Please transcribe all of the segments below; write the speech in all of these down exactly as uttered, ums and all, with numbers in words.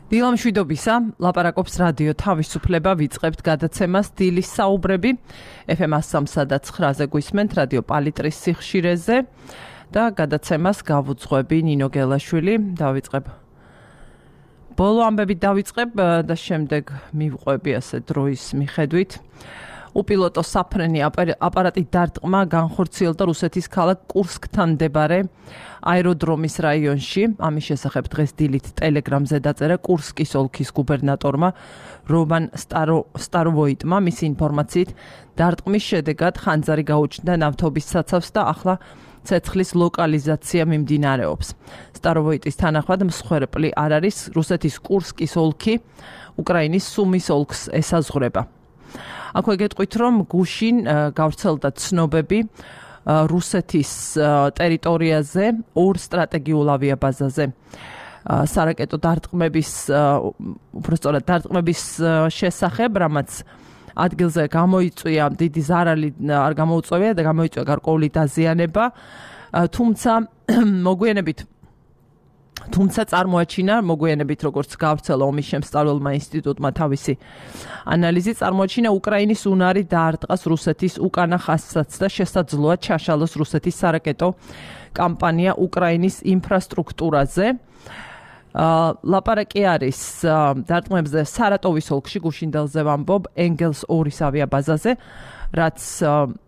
დილამშვიდობისა, ლაპარაკობს რადიო თავისუფლება, ვიწყებთ გადაცემას დილის საუბრები ეფ ემ სამსა და ცხრაზე გვისმენთ რადიო პალიტრის სიხშირეზე და გადაცემას გავუძღვები ნინო გელაშვილი. დავიწყებ ბოლო ამბებით დავიწყებ და შემდეგ მივყვები ასე დროის მიხედვით. უპილოტო საფრენი აპარატი დარტყმა განხორციელდა რუსეთის ქალაქ კურსკთან მდებარე აეროდრომის რაიონში. ამის შესახებ დღეს დილით ტელეგრამზე დაწერა კურსკის ოლქის გუბერნატორმა რომან სტაროვოიტმა. მისი ინფორმაციით დარტყმის შედეგად ხანძარი გაუჩნდა ნავთობის საცავს და ახლა ცეცხლის ლოკალიზაცია მიმდინარეობს. სტაროვოიტის თანახმად მსხვერპლი არ არის, რუსეთის კურსკის ოლქი უკრაინის სუმის ოლქს ესაზღვრება. აქვე გეტყვით, რომ გუშინ გავრცელდა ცნობები რუსეთის ტერიტორიაზე ორ სტრატეგიულ ავიაბაზაზე სარაკეტო დარტყმების, უბრალოდ დარტყმების შესახებ, რამაც ადგილზე გამოიწვია დიდი ზარალი არ გამოუწვევია და გამოიწვია გარკვეული დაზიანება, თუმცა მოგვიანებით თუმცა წარმოაჩინა მოგვიანებით როგორც გავრცელა ომის შემსწავლელმა ინსტიტუტმა თავისი ანალიზი, წარმოაჩინა უკრაინის უნარი დაარტყას რუსეთის უკანა ხაზსაც და შესაძლოა ჩაშალოს რუსეთის სარაკეტო კამპანია უკრაინის ინფრასტრუქტურაზე. ლაპარაკი არის დარტყმებზე სარატოვის ოლქში, გუშინდელზე ვამბობ, ენგელს ორის ავიაბაზაზე, რაც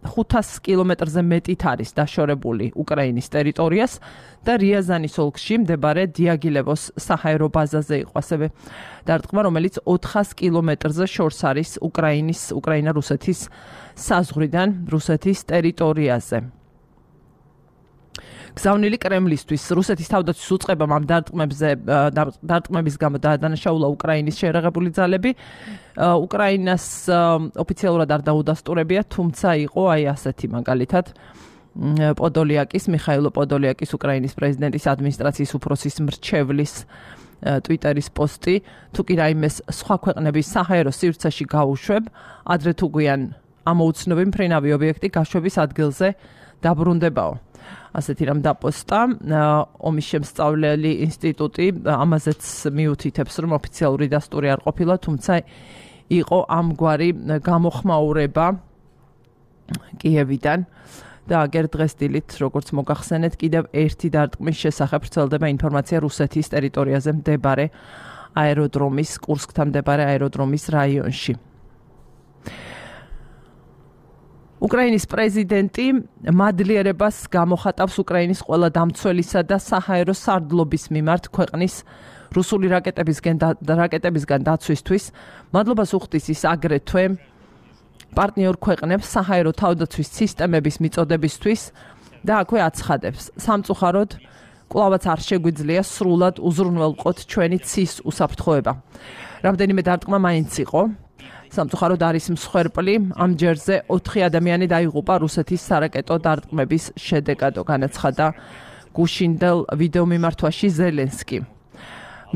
ხუთას კილომეტრზე მეტით არის დაშორებული უკრაინის ტერიტორიას და რიაზანის ოლქში მდებარე დიაგილევოს საჰაერო ბაზაზე იყო ასევე დარტყმა, რომელიც ოთხას კილომეტრზე შორს არის უკრაინის უკრაინა-რუსეთის საზღვრიდან რუსეთის ტერიტორიაზე. გზავნილი კრემლისთვის რუსეთის თავდაცვის უწყებამ ამ დარტყმებზე დარტყმების გამო დაადანაშაულა უკრაინის შეერაღებული ძალები. უკრაინას ოფიციალურად არ დაუდასტურებია, თუმცა იყო აი ასეთი მაგალითად პოდოლიაკის, მიხაილო პოდოლიაკის, უკრაინის პრეზიდენტის ადმინისტრაციის უფროსის მრჩევლის ტვიტერის პოსტი, თუ კი რაიმეს სხვა ქვეყნების საჰაერო სივრცეში გაუშვებ, ადრე თუ გვიან ამოუცნობი მფრინავი ობიექტი გაშვების ადგილზე დაბრუნდებაო. ასეთი რამ დაპოსტა. ომის შემსწავლელი ინსტიტუტი ამაზეც მიუთითებს, რომ ოფიციალური დასტური არ ყოფილა, თუმცა იყო ამგვარი გამოხმაურება კიევიდან და აგერ დღეს დილით, როგორც მოგახსენეთ, კიდევ ერთი დარტყმის შესახებ ვრცელდება ინფორმაცია რუსეთის ტერიტორიაზე მდებარე აეროდრომის, კურსკთან მდებარე აეროდრომის რაიონში. უკრაინის პრეზიდენტი მადლიერებას გამოხატავს უკრაინის ყველა დამცველისა და საჰაერო სარდლობის მიმართ ქვეყნის რუსული რაკეტებისგან რაკეტებისგან დაცვისთვის. მადლობას უხდის ის აგრეთვე პარტნიორ ქვეყნებს საჰაერო თავდაცვის სისტემების მიწოდებისთვის და აქვე აცხადებს, სამწუხაროდ კვლავაც არ შეგვიძლია სრულად უზრუნველყოთ ჩვენი ცის უსაფრთხოება. რამდენიმე დარტყმა მაინც იყო. სამწუხაროდ არის მსხვერპლი, ამ ჯერზე ოთხი ადამიანი დაიღუპა რუსეთის სარაკეტო დარტყმების შედეგად, განაცხადა გუშინდელ ვიდეო მიმართვაში ზელენსკი.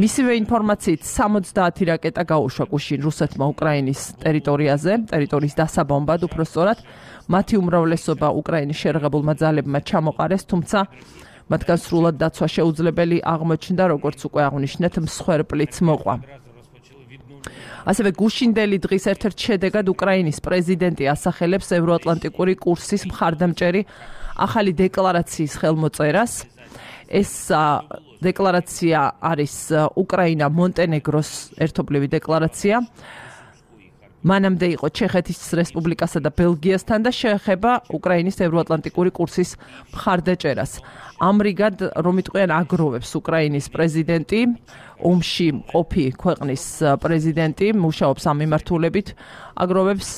მისივე ინფორმაციით სამოცდაათი რაკეტა გაუშვა გუშინ რუსეთმა უკრაინის ტერიტორიაზე, ტერიტორიის დასაბომბად უпроსწორად, მათი უმრავლესობა უკრაინის შეერაღებულმა ძალებმა ჩამოყარეს, თუმცა მათგან სრულად დაცვა შეუძლებელი აღმოჩნდა, როგორც უკვე აღნიშნეთ, მსხვერპლიც მოყვა. ასევე გუშინდელი დღის ერთ-ერთ შედეგად უკრაინის პრეზიდენტი ასახელებს ევროატლანტიკური კურსის მხარდამჭერი ახალი დეკლარაციის ხელმოწერას. ეს დეკლარაცია არის უკრაინა-მონტენეგროს ერთობლივი დეკლარაცია. მანამდე იყო ჩეხეთის რესპუბლიკასა და ბელგიასთან და შეეხება უკრაინის ევროატლანტიკური კურსის მხარდაჭერას. ამრიგად, რომ იტყვიან აგროვებს უკრაინის პრეზიდენტი, ომში მყოფი ქვეყნის პრეზიდენტი, მუშაობს ამ მიმართულებით, აგროვებს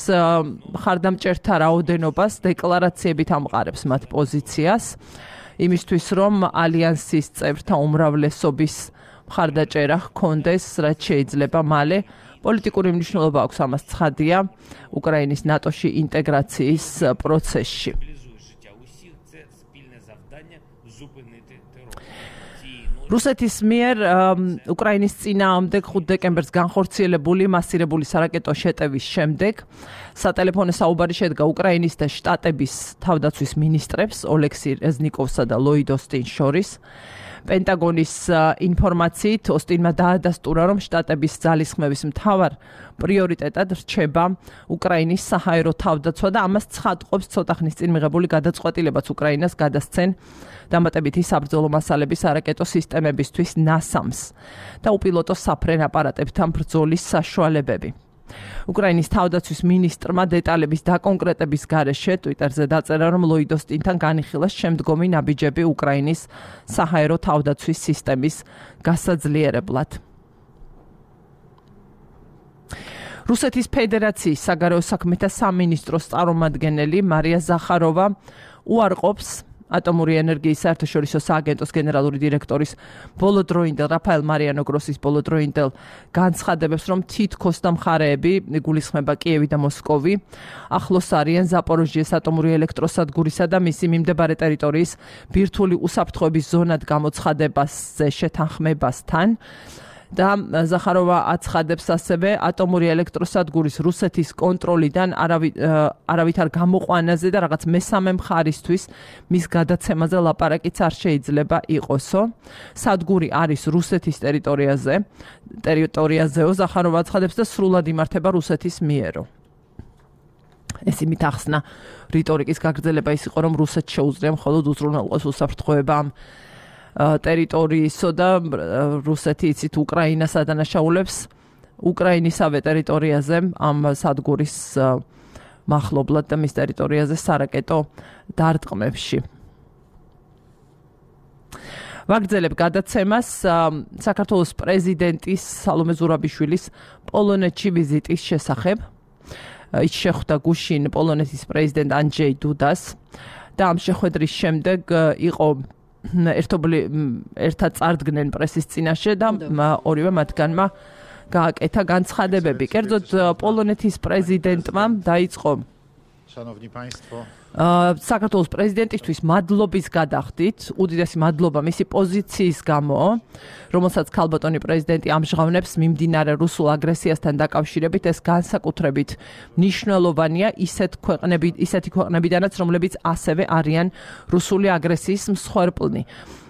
მხარდამჭერთა რაოდენობას, დეკლარაციებით ამყარებს მათ პოზიციას, იმისთვის, რომ ალიანსის წევრთა უმრავლესობის მხარდაჭერა ჰქონდეს, რაც შეიძლება მალე. პოლიტიკური მნიშვნელობა აქვს ამას, ცხადია, უკრაინის ნატოში ინტეგრაციის პროცესში. რუსეთის მიერ უკრაინის წინააღმდეგ ხუთი დეკემბერს განხორციელებული მასირებული სარაკეტო შეტევის შემდეგ სატელეფონო საუბარი შედგა უკრაინის და შტატების თავდაცვის მინისტრებს ოლექსი რეზნიკოვსა და ლოიდ ოსტინს შორის. პენტაგონის ინფორმაციით ოსტინმა დაადასტურა, რომ შტატების ძალისხმევის მთავარ პრიორიტეტად რჩება უკრაინის საჰაერო თავდაცვა და ამას ცხადყოფს ცოტა ხნის წინ მიღებული გადაწყვეტილებაც უკრაინას გადასცენ დამატებითი საბრძოლო მასალების არაკეტო სისტემებისთვის ნასამს და უპილოტო საფრენ აპარატებთან ბრძოლის საშუალებები. უკრაინის თავდაცვის მინისტრმა დეტალების დაკონკრეტების გარეშე ტვიტერზე დაწერა, რომ ლოიდ ოსტინთან განიხილეს შემდგომი ნაბიჯები უკრაინის საჰაერო თავდაცვის სისტემის გასაძლიერებლად. რუსეთის ფედერაციის საგარეო საქმეთა სამინისტროს წარმომადგენელი მარია ზახაროვა უარყოფს ატომური ენერგიის საერთაშორისო სააგენტოს გენერალური დირექტორის ბოლოდროინდელ რაფაელ მარიანო გროსის ბოლოდროინდელ განცხადებებს, რომ თითქოს და მხარეები, გულისხმება კიევი და მოსკოვი, ახლოს არიან ზაპოროჟიეს ატომური ელექტროსადგურისა და მისი მიმდებარე ტერიტორიის ბირთვული უსაფრთხოების ზონად გამოცხადებაზე შეთანხმებასთან. და ზახაროვა აცხადებს ასევე ატომური ელექტროსადგურის რუსეთის კონტროლიდან არავითარ გამოყვანაზე და რაღაც მესამე მხარისთვის მის გადაცემაზე ლაპარაკიც არ შეიძლება იყოსო. სადგური არის რუსეთის ტერიტორიაზე, ტერიტორიაზეო, ზახაროვა აცხადებს და სრულად იმართება რუსეთის მიერო. ეს იმით ახსნა რიტორიკის გაგრძელება ის იყო, რომ რუსეთს შეუძლია მხოლოდ უზრუნველყოს უსაფრთხოება ტერიტორიისო და რუსეთი იცით უკრაინას ადანაშაულებს უკრაინისავე ტერიტორიაზე ამ სადგურის მახლობლად და მის ტერიტორიაზე სარაკეტო დარტყმებში. ვაგრძელებ გადაცემას საქართველოს პრეზიდენტის სალომე ზურაბიშვილის პოლონეთში ვიზიტის შესახებ. ის შეხვდა გუშინ პოლონეთის პრეზიდენტ ანჯეი დუდას და ამ შეხვედრის შემდეგ იყო ერთობლი ერთად წარდგნენ პრესის წინაშე და ორივე მათგანმა გააკეთა განცხადებები. კერძოდ პოლონეთის პრეზიდენტმა დაიწყო საქართველოს პრეზიდენტისთვის მადლობის გადახდით, უდიდესი მადლობა მისი პოზიციის გამო, რომელსაც ქალბატონი პრეზიდენტი ამჟღავნებს მიმდინარე რუსულ აგრესიასთან დაკავშირებით, ეს განსაკუთრებით მნიშვნელოვანია ისეთ ქვეყნები, ისეთი ქვეყნებიდანაც, რომლებიც ასევე არიან რუსული აგრესიის მსხვერპლნი.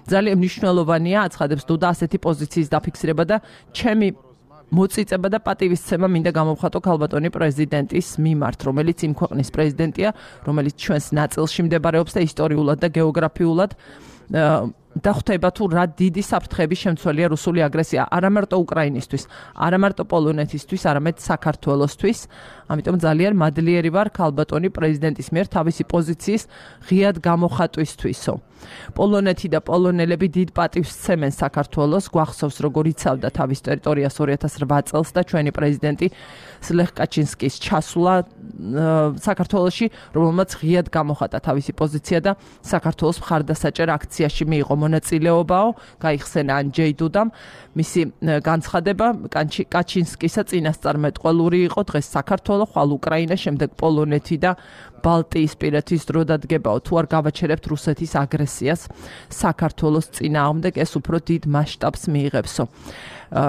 ძალიან მნიშვნელოვანია, აცხადებს დუდა, ასეთი პოზიციის დაფიქსირება და ჩემი მოწიწება და პატივისცემა მინდა გამოვხატო ქალბატონი პრეზიდენტის მიმართ, რომელიც იმ ქვეყნის პრეზიდენტია, რომელიც ჩვენს ნაწილში მდებარეობს და ისტორიულად და გეოგრაფიულად და ხვდება თუ რა დიდი საფრთხეების შემცველია რუსული აგრესია არა მარტო უკრაინისთვის, არა მარტო პოლონეთისთვის, არამედ საქართველოსთვის. ამიტომ ძალიან მადლიერი ვარ ქალბატონი პრეზიდენტის მიერ თავისი პოზიციის ღიად გამოხატვისთვისო. პოლონეთი და პოლონელები დიდ პატივს სცემენ საქართველოს, გვახსოვს როგორ იცავდა თავის ტერიტორიას ორი ათას რვა წელს და ჩვენი პრეზიდენტი ლეხ კაჩინსკის ჩასვლა საქართველოში, რომელმაც ღიად გამოხატა თავისი პოზიცია და საქართველოს მხარდასაჭერ აქციაში მიიღო მონაწილეობაო, გაიხსენა ანჯეი დუდამ. მისი განცხადება კაჩინსკისა წინასწარმეტყველური იყო, დღეს საქართველო, ხვალ უკრაინა, შემდეგ პოლონეთი და ბალტიისპირეთის დრო დადგებაო. თუ არ გავაჩერებთ რუსეთის აგრესიას საქართველოს წინააღმდეგ, ეს უფრო დიდ მასშტაბს მიიღებსო.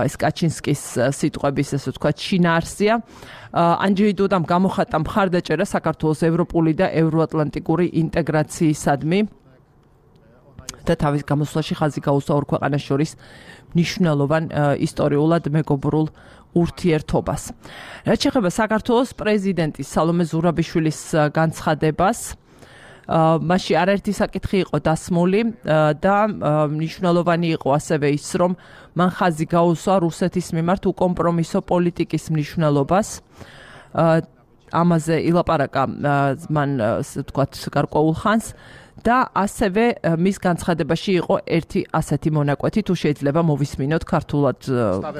ეს კაჩინსკის სიტყვების, ესე ვთქვათ, შინაარსია. ანჯეი დუდამ გამოხატა მხარდაჭერა საქართველოს ევროპული და ევროატლანტიკური ინტეგრაციისადმი და თავის გამოსვლაში ხაზი გაუსვა ორ ქვეყანას შორის მნიშვნელოვან ისტორიულად მეგობრულ ურთიერთობას. რაც შეეხება საქართველოს პრეზიდენტის სალომე ზურაბიშვილის განცხადებას, მასში არაერთი საკითხი იყო დასმული და მნიშვნელოვანი იყო ასევე ის, რომ მან ხაზი გაუსვა რუსეთის მიმართ უკომპრომისო პოლიტიკის მნიშვნელობას. ამაზე ილაპარაკა მან, ასე ვთქვათ, გარკვეულ ხანს. და ასევე მის განცხადებაში იყო ერთი ასეთი მონაკვეთი, თუ შეიძლება მოვისმინოთ ქართულად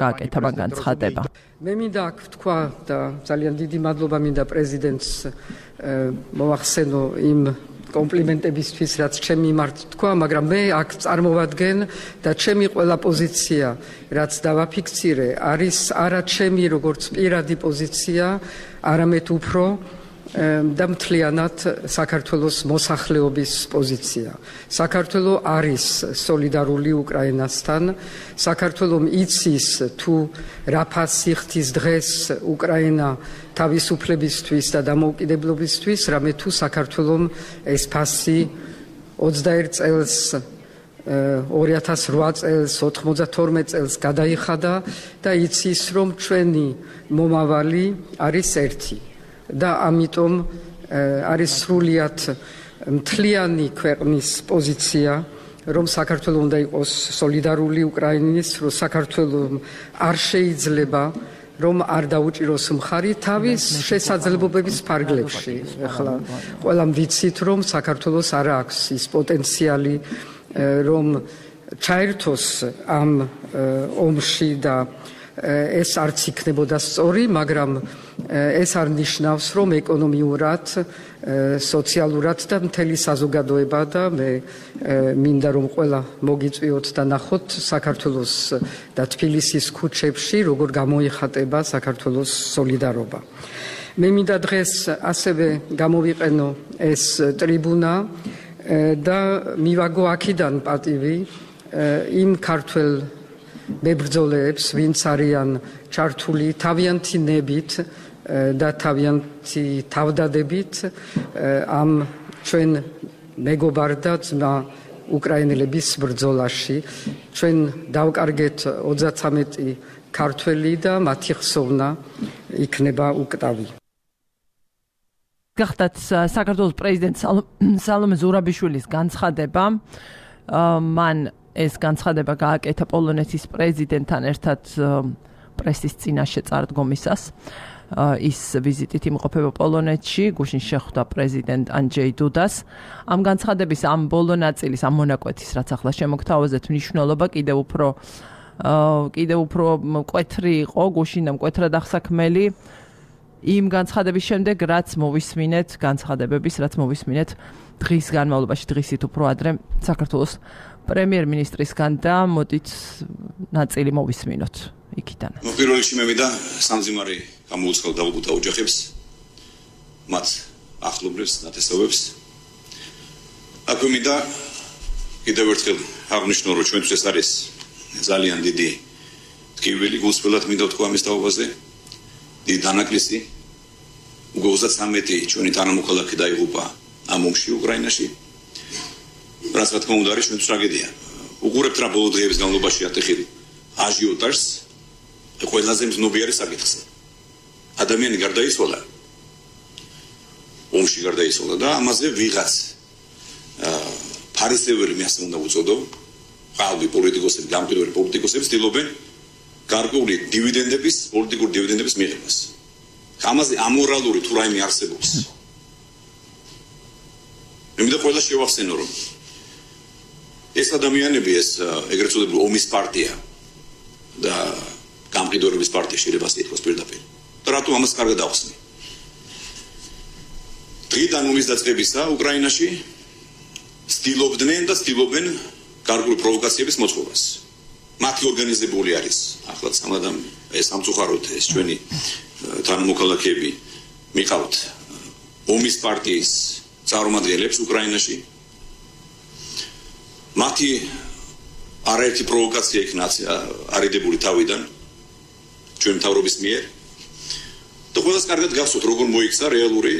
გააკეთა მან განცხადება. მე მინდა აქ ვთქვა და ძალიან დიდი მადლობა მინდა პრეზიდენტს მოვახსენო იმ კომპლიმენტებისთვის, რაც ჩემი მიმართ თქვა, მაგრამ მე აქ წარმოვადგენ და ჩემი ყველა პოზიცია, რაც დავაფიქსირე, არის არა ჩემი როგორც პირადი პოზიცია, არამედ უფრო და მთლიანად საქართველოს მოსახლეობის პოზიცია. საქართველო არის სოლიდარული უკრაინასთან. საქართველომ იცის თუ რა ფასი ხდის დღეს უკრაინა თავისუფლებისთვის და დამოუკიდებლობისთვის, რამე თუ საქართველომ ეს ფასი ოცდაერთ წელს ორი ათას რვა წელს, ოთხმოცდათორმეტ წელს გადაიხადა და იცის, რომ ჩვენი მომავალი არის ერთი და ამიტომ არის სრულიად მთლიანი ქვეყნის პოზიცია, რომ საქართველო უნდა იყოს სოლიდარული უკრაინის, რომ საქართველო არ შეიძლება რომ არ დაუჭიროს მხარი თავის შესაძლებლობების ფარგლებში. ახლა ყველამ ვიცით, რომ საქართველოს არ აქვს ის პოტენციალი, რომ ჩაერთოს ამ ომში და ეს არც იქნებოდა სწორი, მაგრამ ეს არ ნიშნავს, რომ ეკონომიურად, სოციალურად და მთელი საზოგადოება და მე მინდა რომ ყველა მოგიწვიოთ და ნახოთ საქართველოს და თბილისის ქუჩებში როგორ გამოიხატება საქართველოს სოლიდარობა. მე მინდა დღეს ასევე გამოვიყენო ეს ტრიბუნა და მივაგო აქედან პატივი იმ ქართველ მებრძოლებს, ვინც არიან ჩართული თავიანთი ნებით და თავიანთი თავდადებით ამ ჩვენ მეგობარ და ძმა უკრაინელების ბრძოლაში. ჩვენ დავკარგეთ ოცდათვრამეტი ქართველი და მათი ხსოვნა იქნება უკტავი. გახდათ საქართველოს პრეზიდენტ სალომე ზურაბიშვილის განცხადება, მან ეს განცხადება გააკეთა პოლონეთის პრეზიდენტთან ერთად პრესის წინაშე წარდგომისას. ის ვიზიტით იმყოფება პოლონეთში, გუშინ შეხვდა პრეზიდენტ ანჯეი დუდას. ამ განცხადების ამ ბოლო ნაწილის, ამ მონაკვეთის, რაც ახლა შემოგთავაზეთ, მნიშვნელობა კიდევ უფრო კიდევ უფრო მკვეთრი იყო, გუშინ და მკვეთრად აღსაქმელი იმ განცხადების შემდეგ, რაც მოვისმინეთ, განცხადებების, რაც მოვისმინეთ დღის განმავლობაში, დღისით უფრო ადრე საქართველოს პრემიერ-მინისტრისგან და მოდით ნაწილი მოვისმინოთ იქიდან. პირველ რიგში მე მინდა სამძიმარი გამოუცხადო დაღუპულთა ოჯახებს, მათ ახლობლებს, ნათესავებს. აქვე მინდა კიდევ ერთხელ აღნიშნო, რომ ჩვენთვის ეს არის ძალიან დიდი ტკივილი, გულწრფელად მინდა ვთქვა ამის თაობაზე. დიდი დანაკლისი, უკვე ოცდათვრამეტი ჩვენი თანამოქალაქე დაიღუპა ამ ომში უკრაინაში. რაც რა თქმა უნდა არის ჩვენთვის ტრაგედია. უყურებთ რა ბოლო დღეების განმავლობაში ატეხილი აჟიოტაჟს, ყველაზე მზნობიარი საკითხს. ადამიანი გარდაიცვალა, ომში გარდაიცვალა და ამაზე ვიღაც ფარისეველი მე ასე უნდა უწოდო, ყალბი პოლიტიკოსები, გამყიდველი პოლიტიკოსები ცდილობენ გარკვეული დივიდენდების, პოლიტიკური დივიდენდების მიღებას. ამაზე ამორალური თუ რაიმე არსებობს. მე მინდა ყველა შევახსენო, რომ ეს ადამიანები, ეს ეგრეთ წოდებული ომის პარტია და გამყიდველების პარტია შეიძლება ითქვას პირდაპირ. და რატომ ამას კარგად ახსნი? დღიდან ომის დაწყებისა უკრაინაში ცდილობდნენ და ცდილობენ გარკვეული პროვოკაციების მოწყობას. მათი ორგანიზებული არის ახლა სამადამ ეს სამწუხაროდ ეს ჩვენი თანამოქალაქეები მიყავთ ომის პარტიის წარმომადგენლებს უკრაინაში. მათი არაერთი პროვოკაცია იქნა არიდებული თავიდან ჩვენ მთავრობის მიერ და ყველას კარგად გახსოვთ როგორ მოიქცა რეალური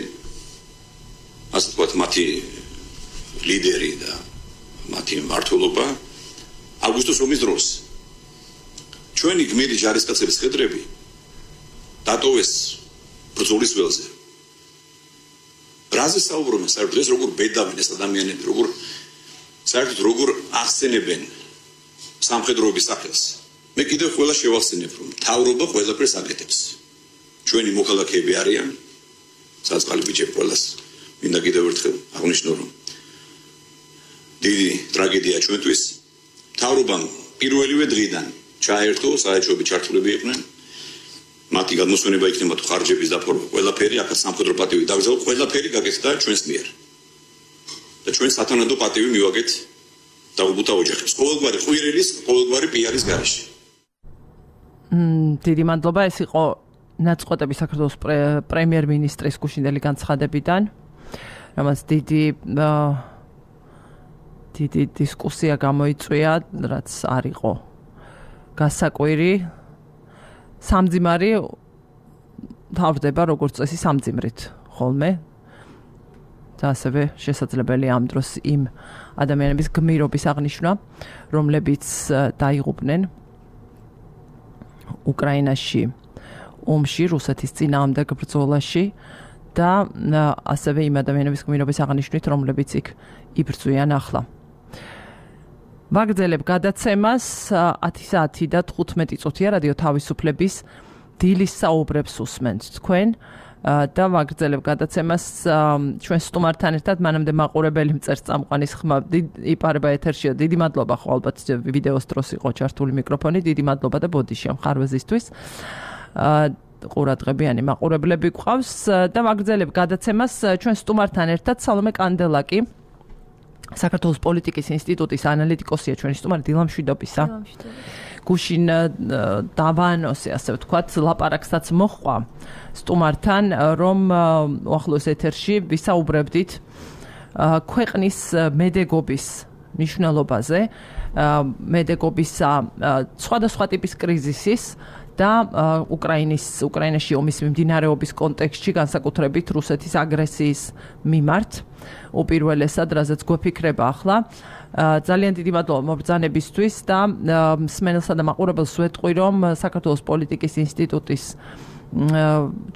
ასე ვთქვათ მათი ლიდერი და მათი მმართველობა აგვისტოს ომის დროს. ჩვენი გმირი ჯარისკაცების ხედრები დატოვეს ბრძოლის ველზე. რაზე საუბრობენ საერთოდ ეს როგორ ბედავენ ეს ადამიანები, როგორ საერთოდ როგორ ახსენებენ სამხედროების სახელს. მე კიდევ ყველა შევახსენებ, რომ მთავრობა ყველაფერს აკეთებს. ჩვენი მოქალაქეები არიან, საწყალი ბიჭები ყველას. მინდა კიდევ ერთხელ აღნიშნო, რომ დიდი ტრაგედია ჩვენთვის. მთავრობამ პირველივე დღიდან ჩაერთო, საერთაშორისო ჩართულები იყვნენ. მათი გადმოსვენება იქნება თუ ხარჯების დაფორმა, ყველაფერი აქაც სამხედრო პატივი დაგზავნა, ყველაფერი გაკეთდა ჩვენს მიერ. და ჩვენ სათანადო პატივი მივაგეთ დაღუპულთა ოჯახებს. ყოველგვარი ყვირილის, ყოველგვარი პიარის გარეშე. მმ, დიდი მადლობა, ეს იყო ნაწყვეტები საქართველოს პრემიერ-მინისტრის გუშინდელი განცხადებიდან, რამაც დიდი დიდი დისკუსია გამოიწვია, რაც არ იყო გასაკვირი. სამძიმარი თავდება როგორც წესი სამძიმრით ხოლმე. და ასევე შესაძლებელია ამ დროს იმ ადამიანების გმირობის აღნიშვნა, რომლებიც დაიღუპნენ უკრაინაში ომში, რუსეთის წინააღმდეგ ბრძოლაში და ასევე იმ ადამიანების გმირობის აღნიშვნით, რომლებიც იქ იბრძვიან ახლა. ვაგრძელებ გადაცემას ათი საათი და თხუთმეტი წუთია რადიო თავისუფლების დილის საუბრებს უსმენთ თქვენ და ვაგრძელებ გადაცემას ჩვენ სტუმართან ერთად მანამდე მაყურებელი მწერწამყვანის ხმა იპარება ეთერშია. დიდი მადლობა ხო ალბათ ვიდეოს დროს იყო ჩართული მიკროფონი. დიდი მადლობა და ბოდიშია მხარვეზისთვის. ყურადღებიანი მაყურებლები გვყავს და ვაგრძელებ გადაცემას ჩვენ სტუმართან ერთად სალომე კანდელაკი საქართველოს პოლიტიკის ინსტიტუტის ანალიტიკოსია ჩვენი სტუმარი დილამშვიდობისა. გუშინ დავანოსე ასე ვთქვათ ლაპარაკსაც მოხვა სტუმართან რომ უახლოეს ეთერში ვისაუბრებდით ქვეყნის მედეგობის მნიშვნელობაზე, მედეგობისა სხვადასხვა ტიპის კრიზისის და უკრაინის უკრაინაში ომის მიმდინარეობის კონტექსტში განსაკუთრებით რუსეთის აგრესიის მიმართ უპირველესად რაზეც გვეფიქრება ახლა. ძალიან დიდი მადლობა მობრძანებისთვის და მსმენელსა და მაყურებელს ვეტყვი რომ საქართველოს პოლიტიკის ინსტიტუტის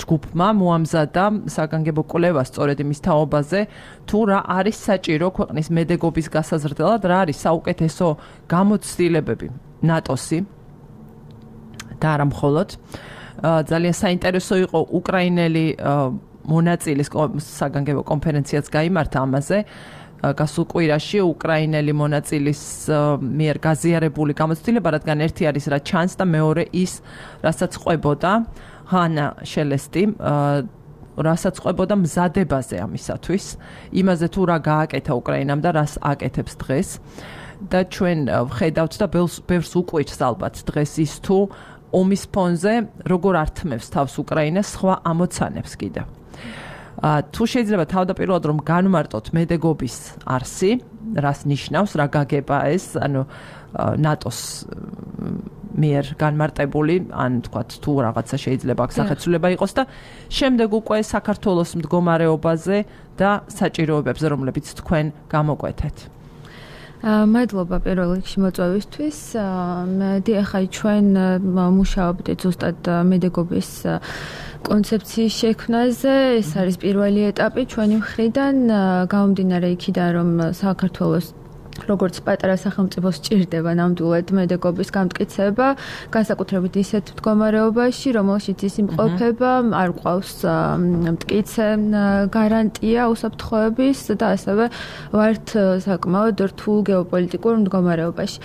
ჯგუფმა მოამზადა საგანგებო კვლევა სწორედ იმის თაობაზე თუ რა არის საჭირო ქვეყნის მედეგობის გასაზრდელად, რა არის საუკეთესო გამოცდილებები ნატოსი და არა მხოლოდ. ძალიან საინტერესო იყო უკრაინელი მონაწილის საგანგებო კონფერენციაც გაიმართა ამაზე. გასულ კვირაში უკრაინელი მონაწილის მიერ გაზიარებული გამოცდილება, რადგან ერთი არის რა ჩანს და მეორე ის, რასაც ყვებოდა ჰანა შელესტი, რასაც ყვებოდა მზადებაზე ამისათვის, იმაზე თუ რა გააკეთა უკრაინამ და რას აკეთებს დღეს. და ჩვენ ვხედავთ და ბევრს უკვირს ალბათ დღეს ის თუ ომის ფონზე როგორ ართმევს თავს უკრაინა სხვა ამოცანებს კიდევ. თუ შეიძლება თავდაპირველად რომ განმარტოთ მედეგობის არსი, რას ნიშნავს, რა გაგება ეს, ანუ ნატოს მიერ განმარტებული, ან თქვათ თუ რაღაცა შეიძლება აქ სახეცვლილება იყოს და შემდეგ უკვე საქართველოს მდგომარეობაზე და საჭიროებებზე, რომლებიც თქვენ გამოკვეთეთ. მადლობა პირველ რიგში მოწვევისთვის. ახლა ჩვენ მუშაობთ ზუსტად მედეგობის კონცეფციის შექმნაზე. ეს არის პირველი ეტაპი ჩვენი მხრიდან, გამომდინარე იქიდან რომ საქართველოს როგორც პატარა სახელმწიფოს სჭირდება ნამდვილად მედეგობის გამტკიცება, განსაკუთრებით ისეთ მდგომარეობაში, რომელშიც ის იმყოფება, არ ყავს მტკიცე გარანტია უსაფრთხოების და ასევე ვართ საკმაოდ რთულ გეოპოლიტიკურ მდგომარეობაში.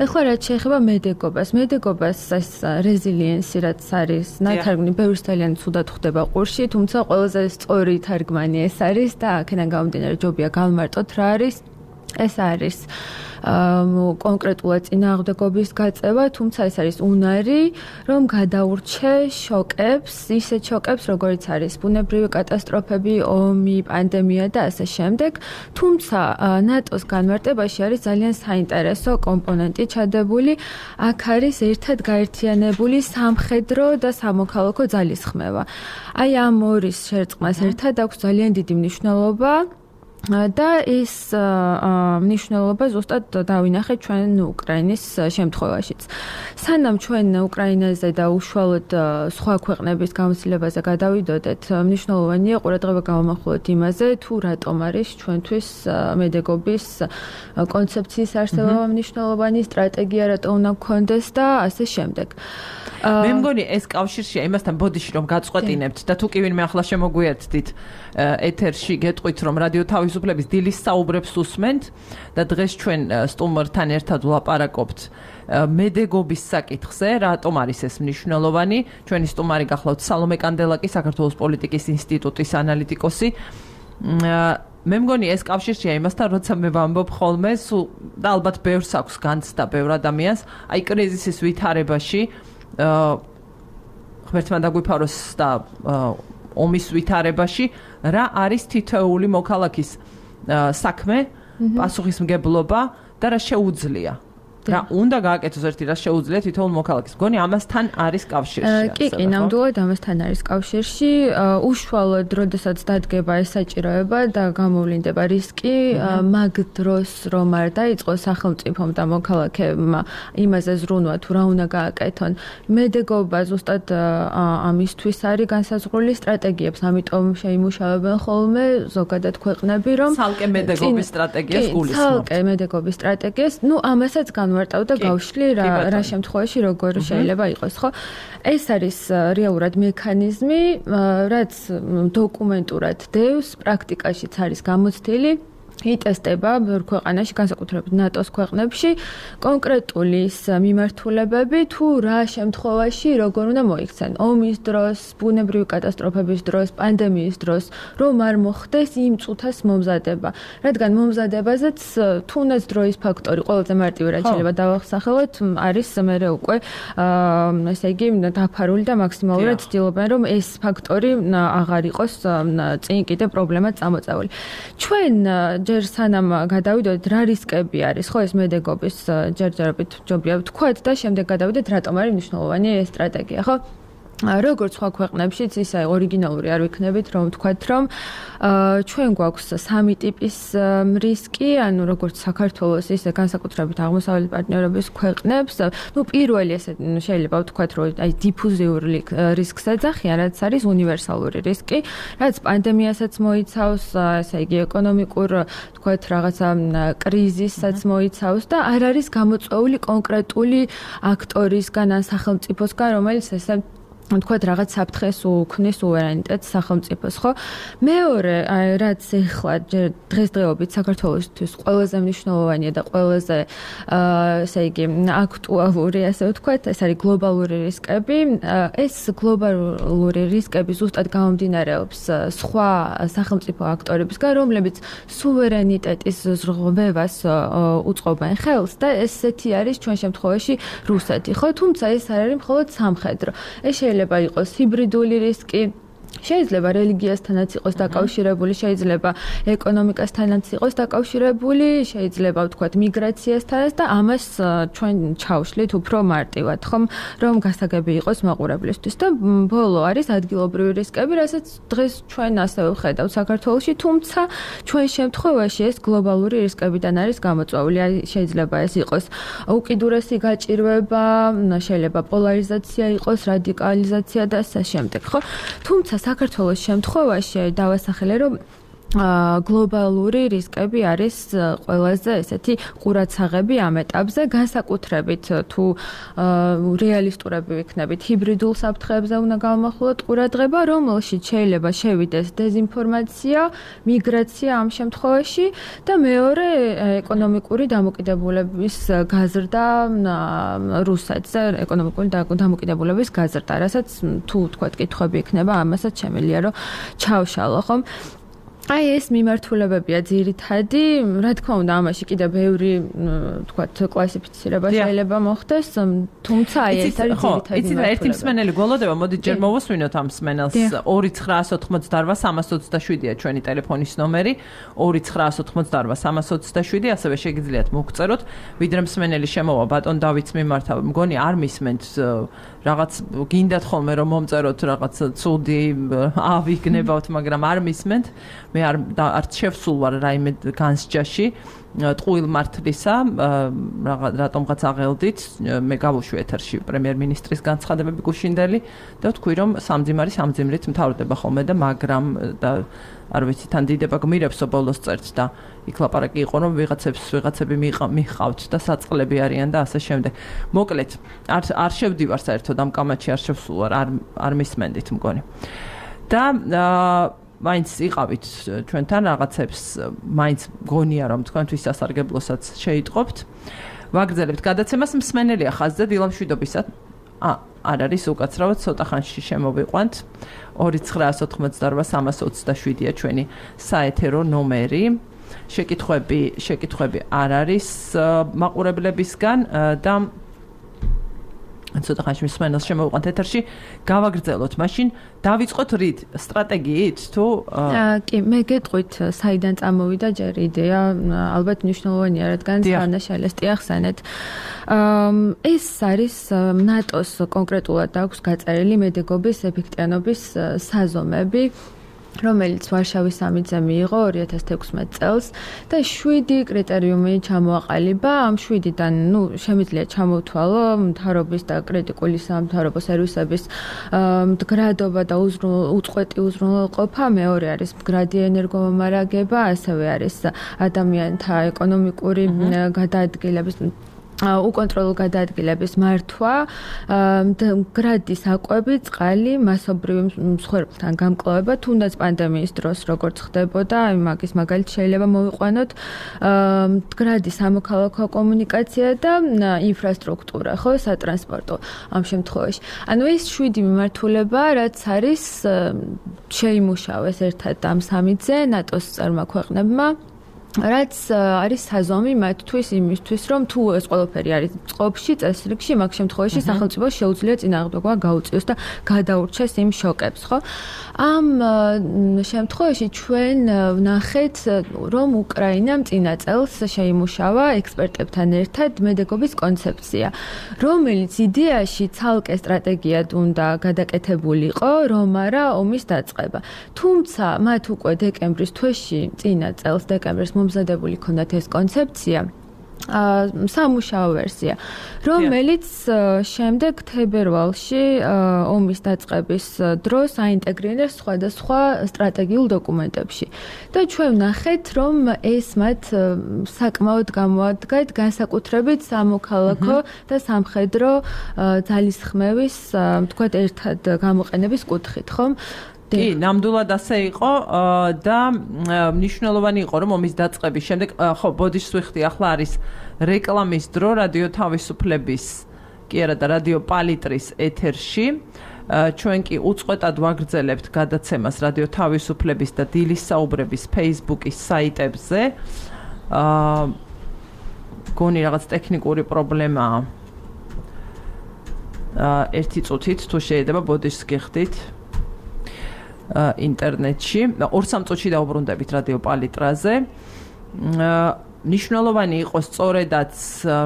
ეხლა რაც შეეხება მედეგობას, მედეგობას ეს რეზილიენსი რაც არის, ნათარგმნი ბევრს ძალიან ცუდად ხვდება ყურში, თუმცა ყველაზე სწორი თარგმანი ეს არის და აქედან გამომდინარე ჯობია გავმარტოთ რა არის. ეს არის კონკრეტულად წინააღმდეგობის გაწევა, თუმცა ეს არის უნარი, რომ გადაურჩე შოკებს, ისეთ შოკებს, როგორიც არის ბუნებრივი კატასტროფები, ომი, პანდემია და ასე შემდეგ. თუმცა ნატოს განმარტებაში არის ძალიან საინტერესო კომპონენტი ჩადებული. აქ არის ერთად გაერთიანებული სამხედრო და სამოქალაქო ძალისხმევა. აი ამ ორის შერწყმას ერთად აქვს ძალიან დიდი მნიშვნელობა. და ეს მნიშვნელობა ზუსტად დავინახეთ ჩვენ უკრაინის შემთხვევაშიც. სანამ ჩვენ უკრაინაზე და უშუალოდ სხვა ქვეყნების გამოცდილებაზე გადავიდოდეთ, მნიშვნელოვანია ყურადღება გავამახვილოთ იმაზე, თუ რატომ არის ჩვენთვის მედეგობის კონცეფციის არსებობა მნიშვნელოვანი, სტრატეგია რატომ უნდა გქონდეს და ასე შემდეგ. მე მგონი ეს კავშირშია იმასთან ბოდიში რომ გაწყვეტინებთ და თუ კი ვინმე ახლა შემოგვიერთდით ეთერში გეტყვით რომ რადიო თავისუფლების დილის საუბრებს უსმენთ და დღეს ჩვენ სტუმართან ერთად ვლაპარაკობთ მედეგობის საკითხზე, რატომ არის ეს მნიშვნელოვანი. ჩვენი სტუმარი გახლავთ სალომე კანდელაკი, საქართველოს პოლიტიკის ინსტიტუტის ანალიტიკოსი. მე მგონი ეს კავშირშია იმასთან, როცა მე ვამბობ ხოლმე, და ალბათ ბევრს აქვს განცდა ბევრ ადამიანს, აი კრიზისის ვითარებაში ღმერთმა დაგვიფაროს და ომის ვითარებაში რა არის თითოეული მოქალაქის საქმე, პასუხისმგებლობა და რა შეუძლია რა უნდა გააკეთოს ერთი რა შეუძლია თითოეულ მოქალაქეს. მგონი ამასთან არის კავშირში. კი, კი, ნამდვილად ამასთან არის კავშირში. უშუალოდ, როდესაც დადგება ეს საჭიროება და გამოვლინდება რისკი, მაგ დროს რომ არ დაიწყოს სახელმწიფომ და მოქალაქეებმა იმაზე ზრუნვა თუ რა უნდა გააკეთონ. მედეგობა ზუსტად ამისთვის არის განსაზღვრული სტრატეგიებს, ამიტომ შეიმუშავებენ ხოლმე ზოგადად ქვეყნები, რომ ცალკე მედეგობის სტრატეგიას გულისხმობთ. ცალკე მედეგობის სტრატეგიას, ნუ ამასაც განვარტავ და გავშლი რა რა შემთხვევაში როგორ შეიძლება იყოს, ხო? ეს არის რეალურად მექანიზმი, რაც დოკუმენტურად დევს, პრაქტიკაშიც არის გამოცდილი. იტესტება ბევრ ქვეყანაში, განსაკუთრებით ნატოს ქვეყნებში, კონკრეტული მიმართულებები თუ რა შემთხვევაში როგორ უნდა მოიქცენ. ომის დროს, ბუნებრივი კატასტროფების დროს, პანდემიის დროს, რომ არ მოხდეს იმ წუთას მომზადება. რადგან მომზადებაზეც თუნდაც დროის ფაქტორი, ყველაზე მარტივი რაც შეიძლება დავახსახელოთ, არის მერე უკვე ესე იგი დაფარული და მაქსიმალურად ცდილობენ, რომ ეს ფაქტორი აღარ იყოს წინ კიდე პრობლემა წამოწეული. ჩვენ ჯერ სანამ გადავიდოდეთ რა რისკები არის, ხო ეს მედეგობის ჯერჯერობით ჯობია ვთქვათ და შემდეგ გადავიდეთ რატომ არის მნიშვნელოვანი ეს სტრატეგია, ხო? როგორც სხვა ქვეყნებშიც ისე ორიგინალური არ ვიქნებით, რომ ვთქვათ, რომ ჩვენ გვაქვს სამი ტიპის რისკი, ანუ როგორც საქართველოს, ისე განსაკუთრებით აღმოსავლეთ პარტნიორობის ქვეყნებს. ნუ პირველი ესე შეიძლება ვთქვათ, რომ აი დიფუზიური რისკს ეძახიან, რაც არის უნივერსალური რისკი, რაც პანდემიასაც მოიცავს, ესე იგი ეკონომიკურ, ვთქვათ, რაღაცა კრიზისსაც მოიცავს და არ არის გამოწვეული კონკრეტული აქტორისგან ან სახელმწიფოსგან, რომელიც ესე თქვათ რაღაც საფრთხეს უქმნის სუვერენიტეტს სახელმწიფოს, ხო? მეორე, რაც ეხლა დღესდღეობით საქართველოსთვის ყველაზე მნიშვნელოვანია და ყველაზე ესე იგი აქტუალური, ასე ვთქვათ, ეს არის გლობალური რისკები. ეს გლობალური რისკები ზუსტად გამომდინარეობს სხვა სახელმწიფო აქტორებისგან, რომლებიც სუვერენიტეტის ზრღვევას უწყობენ ხელს და ესეთი არის ჩვენ შემთხვევაში რუსეთი, ხო? თუმცა ეს არ არის მხოლოდ სამხედრო. ეს შეიძლება იყოს ჰიბრიდული რისკი, შეიძლება რელიგიასთანაც იყოს დაკავშირებული, შეიძლება ეკონომიკასთანაც იყოს დაკავშირებული, შეიძლება ვთქვათ მიგრაციასთანაც და ამას ჩვენ ჩავშლით უფრო მარტივად, ხომ, რომ გასაგები იყოს მაყურებლისთვის და ბოლო არის ადგილობრივი რისკები, რასაც დღეს ჩვენ ასევე ვხედავთ საქართველოში, თუმცა ჩვენ შემთხვევაში ეს გლობალური რისკებიდან არის გამოწვეული, შეიძლება ეს იყოს უკიდურესი გაჭირვება, შეიძლება პოლარიზაცია იყოს, რადიკალიზაცია და ასე შემდეგ, ხო? თუმცა საქართველოს შემთხვევაში დავასახელე, რომ გლობალური რისკები არის ყველაზე ესეთი ყურადსაღები ამ ეტაპზე, განსაკუთრებით თუ რეალისტურები ვიქნებით, ჰიბრიდულ საფრთხეებზე უნდა გავმახვილოთ ყურადღება, რომელშიც შეიძლება შევიდეს დეზინფორმაცია, მიგრაცია ამ შემთხვევაში და მეორე ეკონომიკური დამოკიდებულების გაზრდა რუსეთზე, ეკონომიკური დამოკიდებულების გაზრდა, რასაც თუ თქვათ კითხვები იქნება, ამასაც შემიძლია რომ ჩავშალო, ხომ? აი ეს მიმართულებებია ძირითადი, რა თქმა უნდა, ამაში კიდე ბევრი, თქვათ, კლასიფიცირება შეიძლება მოხდეს, თუმცა აი ეს არის ძირითადი. იცით რა, ერთი მსმენელი გველოდება, მოდით ჯერ მოვუსმინოთ ამ მსმენელს. ორი ცხრაას ოთხმოცდაოთხ სამას ოცდაშვიდია ჩვენი ტელეფონის ნომერი, ორი ცხრაას ოთხმოცდაოთხ სამას ოცდაშვიდი, ასევე შეგიძლიათ მოგწეროთ, ვიდრე მსმენელი შემოვა ბატონ დავითს მიმართავ. მგონი არ მისმენთ რაღაც გინდათ ხოლმე რომ მომწეროთ რაღაც ცუდი ავიგნებავთ, მაგრამ არ მისმენთ. მე არ არც შევსულ ვარ რაიმე განსჯაში ტყუილ მართლისა, რატომღაც აღელდით, მე გავუშვი ეთერში პრემიერ-მინისტრის განცხადებები გუშინდელი და ვთქვი, რომ სამძიმარი სამძიმრით მთავრდება ხოლმე და მაგრამ და არ ვიცი, თან დიდება გმირებსო ბოლოს წერთ და იქ ლაპარაკი იყო, რომ ვიღაცებს ვიღაცები მიყავთ და საწყლები არიან და ასე შემდეგ. მოკლედ, არ არ შევდივარ საერთოდ ამ კამათში, არ შევსულ ვარ, არ არ მისმენდით მგონი. და მაინც იყავით ჩვენთან რაღაცებს, მაინც გონია რომ თქვენთვის სასარგებლოსაც შეიტყობთ. ვაგრძელებთ გადაცემას, მსმენელია ხაზზე დილამშვიდობისად. ა, არ არის უკაცრავად, ცოტა ხანში შემოვიყვანთ. ორი ცხრაას ოთხმოცდაოთხ სამას ოცდაშვიდია ჩვენი საეთერო ნომერი. შეკითხვები, შეკითხვები არ არის მაყურებლებისგან და ცოტა ხანში მსმენელს შემოვიყვანთ ეთერში, გავაგრძელოთ. მაშინ დავიწყოთ რით სტრატეგიით თუ კი, მე გეტყვით, საიდან წამოვიდა ჯერ იდეა, ალბათ მნიშვნელოვანია, რადგან სანაშალესტი ახსენეთ. ეს არის ნატოს კონკრეტულად აქვს გაწერილი მედეგობის ეფექტიანობის საზომები, რომელიც ვარშავის სამიტზე მიიღო ორი ათას თექვსმეტ წელს და შვიდი კრიტერიუმი ჩამოაყალიბა. ამ შვიდიდან, ნუ, შემიძლია ჩამოვთვალო მთავრობის და კრიტიკული სამთავრობო სერვისების მდგრადობა და უწყვეტი უზრუნველყოფა, მეორე არის მდგრადი ენერგომომარაგება, ასევე არის ადამიანთა ეკონომიკური გადაადგილების უკონტროლო გადაადგილების მართვა, მდგრადის აკვები, წყალი, მასობრივი მსხვერპლთან გამკლავება, თუნდაც პანდემიის დროს როგორც ხდებოდა, მაგის მაგალითი შეიძლება მოვიყვანოთ, მდგრადი სამოქალაქო კომუნიკაცია და ინფრასტრუქტურა, ხო, სატრანსპორტო ამ შემთხვევაში. ანუ ეს შვიდი მიმართულება, რაც არის შეიმუშავეს ერთად ამ სამიტზე ნატოს წარმა ქვეყნებმა, რაც არის საზომი მათთვის იმისთვის, რომ თუ ეს ყველაფერი არის წყობაში, წესრიგში, მაგ შემთხვევაში სახელმწიფო შეუძლია წინააღმდეგობა გაუწიოს და გადაურჩეს იმ შოკებს, ხო? ამ შემთხვევაში ჩვენ ვნახეთ, რომ უკრაინამ წინა წელს შეიმუშავა ექსპერტებთან ერთად მედეგობის კონცეფცია, რომელიც იდეაში ცალკე სტრატეგიად უნდა გადაკეთებულიყო, რომ არა ომის დაწყება. თუმცა მათ უკვე დეკემბრის თვეში, წინა წელს დეკემბრის მომზადებული ქონდათ ეს კონცეფცია, სამუშაო ვერსია, რომელიც შემდეგ თებერვალში ომის დაწყების დროს აინტეგრირეს სხვადასხვა სტრატეგიულ დოკუმენტებში. და ჩვენ ვნახეთ, რომ ეს მათ საკმაოდ გამოადგათ განსაკუთრებით სამოქალაქო და სამხედრო ძალისხმევის, თქვათ, ერთად გამოყენების კუთხით, ხომ? კი, ნამდვილად ასე იყო და მნიშვნელოვანი იყო, რომ ომის დაწყების შემდეგ, ხო, ბოდიშს ვიხდი, ახლა არის რეკლამის დრო რადიო თავისუფლების, კი არა და რადიო პალიტრის ეთერში. ჩვენ კი უწყვეტად ვაგრძელებთ გადაცემას რადიო თავისუფლების და დილის საუბრების Facebook-ის საიტებზე. აა გონი რაღაც ტექნიკური პრობლემაა. აა ერთი წუთით თუ შეიძლება ბოდიშს გიხდით. ინტერნეტში ორ სამ წუთში დაუბრუნდებით რადიო პალიტრაზე. ნიშნულოვანი იყო სწორედაც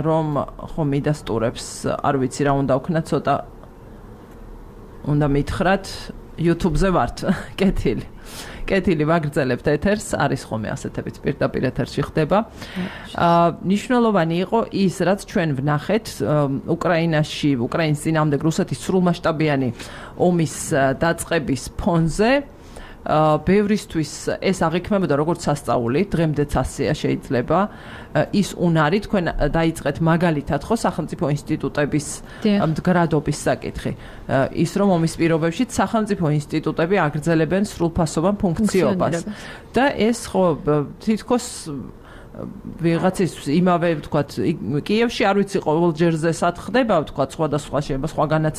რომ ხო მიდასტურებს, არ ვიცი რა უნდა ვქნა, ცოტა უნდა მითხრათ, YouTube-ზე ვართ, კეთილი. კეთილი ვაგრძელებთ ეთერს, არის ხოლმე ასეთებით პირდაპირ ეთერში ხდება. ნიშნულოვანი იყო ის, რაც ჩვენ ვნახეთ უკრაინაში, უკრაინის წინააღმდეგ რუსეთის სრულმასშტაბიანი ომის დაწყების ფონზე. ბევრისთვის ეს აღიქმებოდა როგორც სასწაული, დღემდეც ასეა შეიძლება. ის უნარი თქვენ დაიწყეთ მაგალითად ხო სახელმწიფო ინსტიტუტების მდგრადობის საკითხი. ის რომ ომის პირობებში სახელმწიფო ინსტიტუტები აგრძელებენ სრულფასოვან ფუნქციობას. და ეს ხო თითქოს ვიღაცის იმავე ვთქვათ კიევში არ ვიცი ყოველჯერზე სად ხდება ვთქვათ სხვადასხვა შეიძლება სხვაგანაც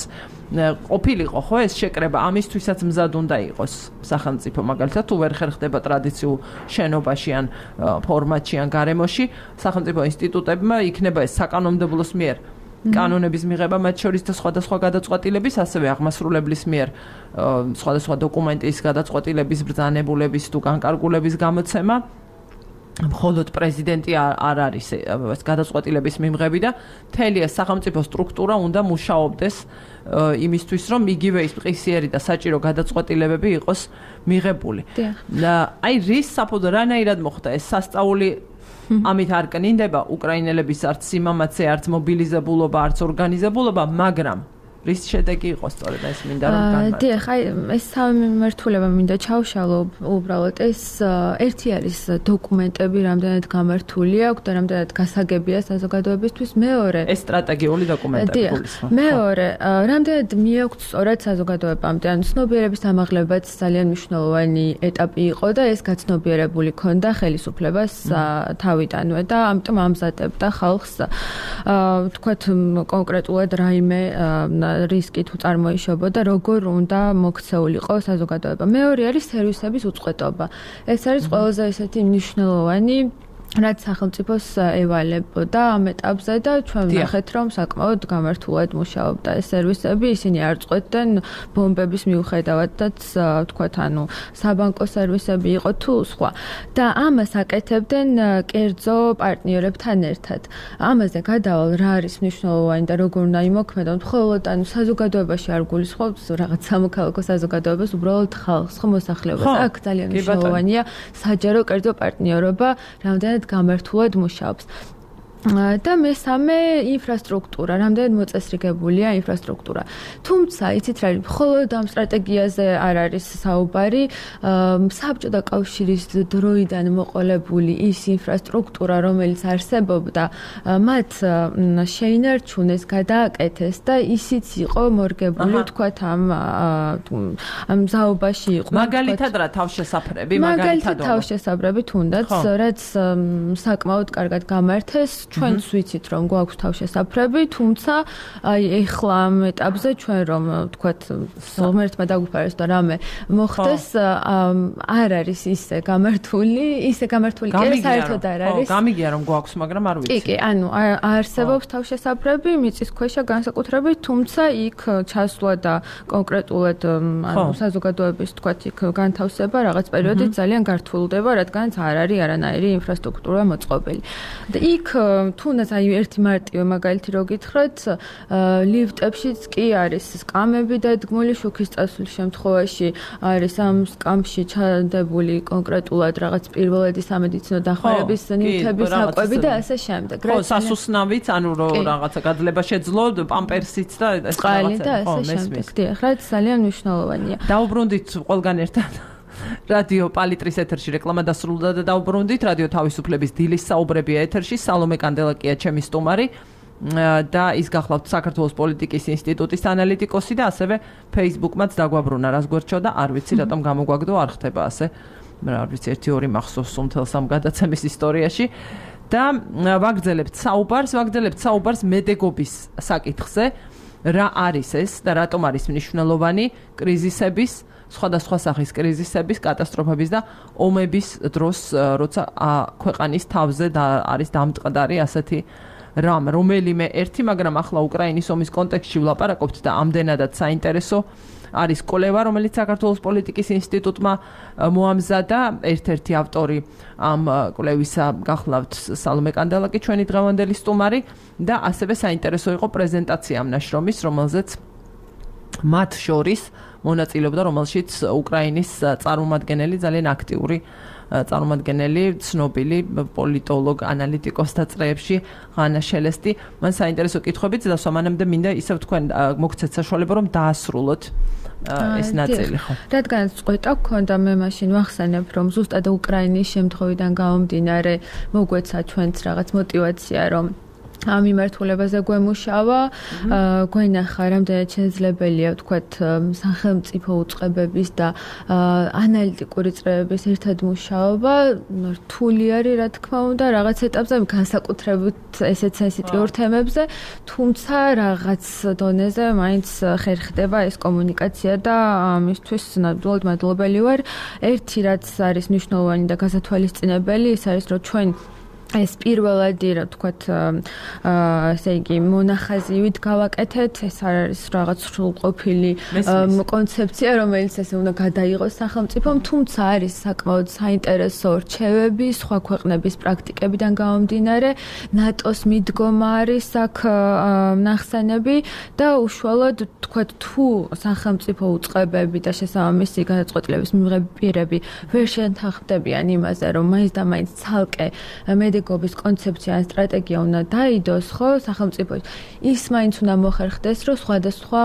ყოფილიყო ხო ეს შეკრება ამისთვისაც მზად უნდა იყოს სახელმწიფო მაგალითად თუ ვერ ხერხდება ტრადიციულ შენობაში ან ფორმატში ან გარემოში სახელმწიფო ინსტიტუტებმა იქნება ეს საკანონმდებლოს მიერ კანონების მიღება მათ შორის და სხვადასხვა გადაწყვეტილების ასევე აღმასრულებლის მიერ სხვადასხვა დოკუმენტის გადაწყვეტილების ბრძანებულების თუ განკარგულების გამოცემა მხოლოდ პრეზიდენტი არ არის ეს გადაწყვეტილების მიმღები და მთელი ეს სახელმწიფო სტრუქტურა უნდა მუშაობდეს იმისთვის რომ იგივე ის მყისიერი და საჭირო გადაწყვეტილებები იყოს მიღებული. აი რის საფუძვად რანაირად მოხდა ეს სასწაული ამით არ კნინდება უკრაინელების არც სიმამაცე, არც მობილიზებულობა, არც ორგანიზებულობა, მაგრამ რის შედეგი იყო სწორედ ეს მინდა რომ განვაცხადო. დიახ, აი ეს სამი მიმართულება მინდა ჩავშალო უბრალოდ ეს ერთი არის დოკუმენტები რამდენად გამართული აქვს და რამდენად გასაგებია საზოგადოებისთვის, მეორე ეს სტრატეგიული დოკუმენტები გულისხმობს. მეორე, რამდენად მიაქვს სწორად საზოგადოებამდე, ანუ ცნობიერების ამაღლებაც ძალიან მნიშვნელოვანი ეტაპი იყო და ეს გაცნობიერებული ქონდა ხელისუფლებას თავიდანვე და ამიტომ ამზადებდა ხალხს თქვათ კონკრეტულად რაიმე რისკი თუ წარმოიშობოდა, როგორ უნდა მოქცეულიყო საზოგადოება. მეორე არის სერვისების უწყვეტობა. ეს არის ყველაზე ესეთი მნიშვნელოვანი რაც სახელმწიფოს ევალებოდა ამ ეტაპზე და ჩვენ ვნახეთ რომ საკმაოდ გამართულად მუშაობდა ეს სერვისები, ისინი არ წყვეტდნენ ბომბების მიუხედავადაც თქვათ ანუ საბანკო სერვისები იყო თუ სხვა და ამას აკეთებდნენ კერძო პარტნიორებთან ერთად. ამაზე გადავალ რა არის მნიშვნელოვანი და როგორ უნდა იმოქმედონ მხოლოდ ანუ საზოგადოებაში არ გულისხმობთ რაღაც სამოქალაქო საზოგადოებას, უბრალოდ ხალხს ხო მოსახლეობას. აქ ძალიან მნიშვნელოვანია საჯარო კერძო პარტნიორობა, რამდენად გამართულად მუშაობს. და მესამე ინფრასტრუქტურა, რამდენად მოწესრიგებულია ინფრასტრუქტურა. თუმცა, იცით რა, მხოლოდ ამ სტრატეგიაზე არ არის საუბარი, საბჭოთა კავშირის დროიდან მოყოლებული ის ინფრასტრუქტურა, რომელიც არსებობდა, მათ შეინარჩუნეს, გადააკეთეს და ისიც იყო მორგებული, თქვათ, ამ ამ ზაობაში იყო. მაგალითად რა თავშესაფრები, მაგალითად თავშესაფრები თუნდაც, რაც საკმაოდ კარგად გამართეს. ჩვენც ვიცით რომ გვაქვს თავშესაფრები, თუმცა აი ეხლა ამ ეტაპზე ჩვენ რომ თქვათ ღმერთმა დაგვიფარეს და რამე მოხდეს არ არის ისე გამართული, ისე გამართული კი საერთოდ არ არის. ხო, გამიგია რომ გვაქვს, მაგრამ არ ვიცი. კი, კი, ანუ არსებობს თავშესაფრები, მიწისქვეშა განსაკუთრებით, თუმცა იქ ჩასვლა და კონკრეტულად ანუ საზოგადოების თქვათ იქ განთავსება რაღაც პერიოდით ძალიან გართულდება, რადგანაც არ არის არანაირი ინფრასტრუქტურა მოწყობილი. და იქ თუნდაც აი ერთი მარტივი მაგალითი რო გითხრათ, ლიფტებშიც კი არის სკამები დადგმული, შუქის წასვლის შემთხვევაში არის ამ სკამში ჩადებული კონკრეტულად რაღაც პირველადი სამედიცინო დახმარების ნივთები, საკვები და ასე შემდეგ. ხო, სასუსნავიც, ანუ რო რაღაცა გაძლება შეძლო, პამპერსიც და ეს რაღაცა. და ასე შემდეგ. დიახ, რაც ძალიან მნიშვნელოვანია. დაუბრუნდით ყველგან ერთად. რადიო პალიტრის ეთერში რეკლამა დასრულდა და დაუბრუნდით რადიო თავისუფლების დილის საუბრებია ეთერში. სალომე კანდელაკია ჩემი სტუმარი და ის გახლავთ საქართველოს პოლიტიკის ინსტიტუტის ანალიტიკოსი და ასევე Facebook-მაც დაგვაბრუნა რას გვერდჩოდა, არ ვიცი რატომ გამოგვაგდო, არ ხდება ასე. არ ვიცი ერთი ორი მახსოვს უმთელს ამ გადაცემის ისტორიაში და ვაგრძელებთ საუბარს, ვაგრძელებთ საუბარს მედეგობის საკითხზე, რა არის ეს და რატომ არის მნიშვნელოვანი კრიზისების სხვადასხვა სახის კრიზისების, კატასტროფების და ომების დროს, როცა ქვეყანის თავზე და არის დამტყდარი ასეთი რამ, რომელიმე ერთი, მაგრამ ახლა უკრაინის ომის კონტექსტში ვლაპარაკობთ და ამდენადაც საინტერესო არის კვლევა, რომელიც საქართველოს პოლიტიკის ინსტიტუტმა მოამზადა. ერთ-ერთი ავტორი ამ კვლევისა გახლავთ სალომე კანდელაკი, ჩვენი დღევანდელი სტუმარი და ასევე საინტერესო იყო პრეზენტაცია ამ ნაშრომის, რომელზეც მათ შორის მონაწილეობდა, რომელშიც უკრაინის წარმომადგენელი ძალიან აქტიური წარმომადგენელი, ცნობილი პოლიტოლოგ, ანალიტიკოსთა წრეებში ღანა შელესტი. მან საინტერესო კითხვებიც დასვა, მანამდე მინდა ისევ თქვენ მოგცეთ საშუალება რომ დაასრულოთ ეს ნაწილი, ხო? რადგანაც წყვეტა გქონდა, მე მაშინ ვახსენებ, რომ ზუსტად უკრაინის შემთხვევიდან გამომდინარე მოგვეცა ჩვენც რაღაც мотиваცია, რომ ამ მიმართულებაზე გვემუშავა, გვენახა რამდენად შესაძლებელია ვთქვათ სახელმწიფო უწყებების და ანალიტიკური წრეების ერთად მუშაობა, რთული არის რა თქმა უნდა რაღაც ეტაპზე, განსაკუთრებით ესეთ სენსიტიურ თემებზე, თუმცა რაღაც დონეზე მაინც ხერხდება ეს კომუნიკაცია და ამისთვის ნამდვილად მადლობელი ვარ. ერთი რაც არის მნიშვნელოვანი და გასათვალისწინებელი, ის არის რომ ჩვენ ეს პირველადი რა ვთქვათ ესე იგი მონახაზივით გავაკეთეთ, ეს არ არის რაღაც სრულყოფილი კონცეფცია, რომელიც ესე უნდა გადაიღოს სახელმწიფომ, თუმცა არის საკმაოდ საინტერესო რჩევები სხვა ქვეყნების პრაქტიკებიდან გამომდინარე, ნატოს მიდგომა არის აქ ნახსენები და უშუალოდ ვთქვათ თუ სახელმწიფო უწყებები და შესაბამისი გადაწყვეტილების მიღებპირები ვერ შეთანხმდებიან იმაზე, რომ მაინც და მაინც ცალკე მედეგობის კონცეფცია ან სტრატეგია უნდა დაიდოს, ხო, სახელმწიფოში. ის მაინც უნდა მოხერხდეს, რომ სხვადასხვა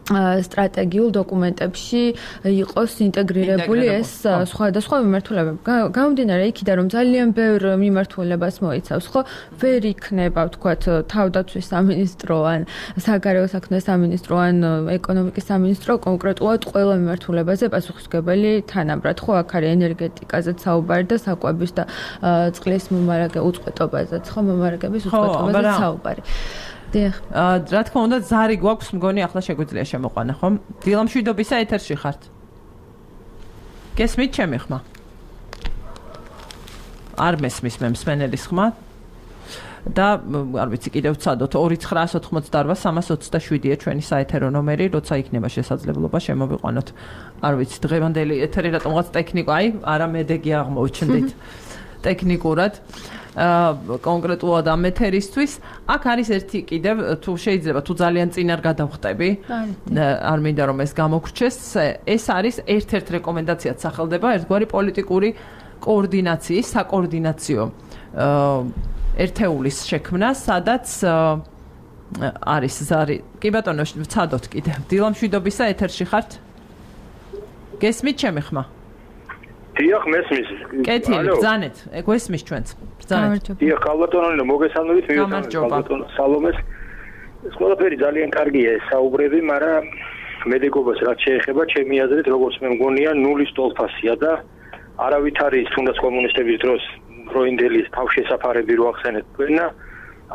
სტრატეგიულ დოკუმენტებში იყოს ინტეგრირებული ეს სხვადასხვა მიმართულებები. გამომდინარე იქიდან, რომ ძალიან ბევრ მიმართულებას მოიცავს, ხო, ვერ იქნება, ვთქვათ, თავდაცვის სამინისტრო ან საგარეო საქმეთა სამინისტრო ან ეკონომიკის სამინისტრო კონკრეტულად ყველა მიმართულებაზე პასუხისმგებელი თანაბრად, ხო, აქ არის ენერგეტიკაზეც საუბარი და საკვების და წყლის მომარაგე უწყვეტობაზეც, ხო, მომარაგების უწყვეტობაზეც საუბარი. რა თქმა უნდა, ზარი გვაქვს, მგონი ახლა შეგვიძლია შემოყვანა, ხო? დილამშვიდობისა ეთერში ხართ. გესმით ჩემი ხმა? არ მესმის მე მსმენელის ხმა და არ ვიცი კიდევ ვცადოთ ორი ცხრაას ოთხმოცდაორ სამას ოცდაშვიდია ჩვენი საეთერო ნომერი, როცა იქნება შესაძლებლობა შემოვიყვანოთ. არ ვიცი დღევანდელი ეთერი რატომღაც ტექნიკა, აი, არა მედეგი აღმოჩნდით ტექნიკურად. კონკრეტულად ამ ეთერისთვის აქ არის ერთი კიდევ თუ შეიძლება თუ ძალიან წინ არ გადავხტები არ მინდა რომ ეს გამოგრჩეს ეს არის ერთ-ერთ რეკომენდაციად სახელდება ერთგვარი პოლიტიკური კოორდინაციის საკოორდინაციო ერთეულის შექმნა სადაც არის ზარი კი ბატონო ვცადოთ კიდევ დილამშვიდობისა ეთერში ხართ გესმით ჩემი ხმა დიახ მესმის კეთილი ბრძანეთ გვესმის ჩვენც ბრძანეთ დიახ ქალბატონო მოგესალმებით მივესალმებით ქალბატონო სალომეს ეს ყველაფერი ძალიან კარგია ეს საუბრები მაგრამ მედიკობას რაც შეეხება ჩემი აზრით როგორც მე მგონია ნულის ტოლფასია და არავით არის თუნდაც კომუნისტების დროს დროინდელი თავშესაფარები რო ახსენეთ თქვენა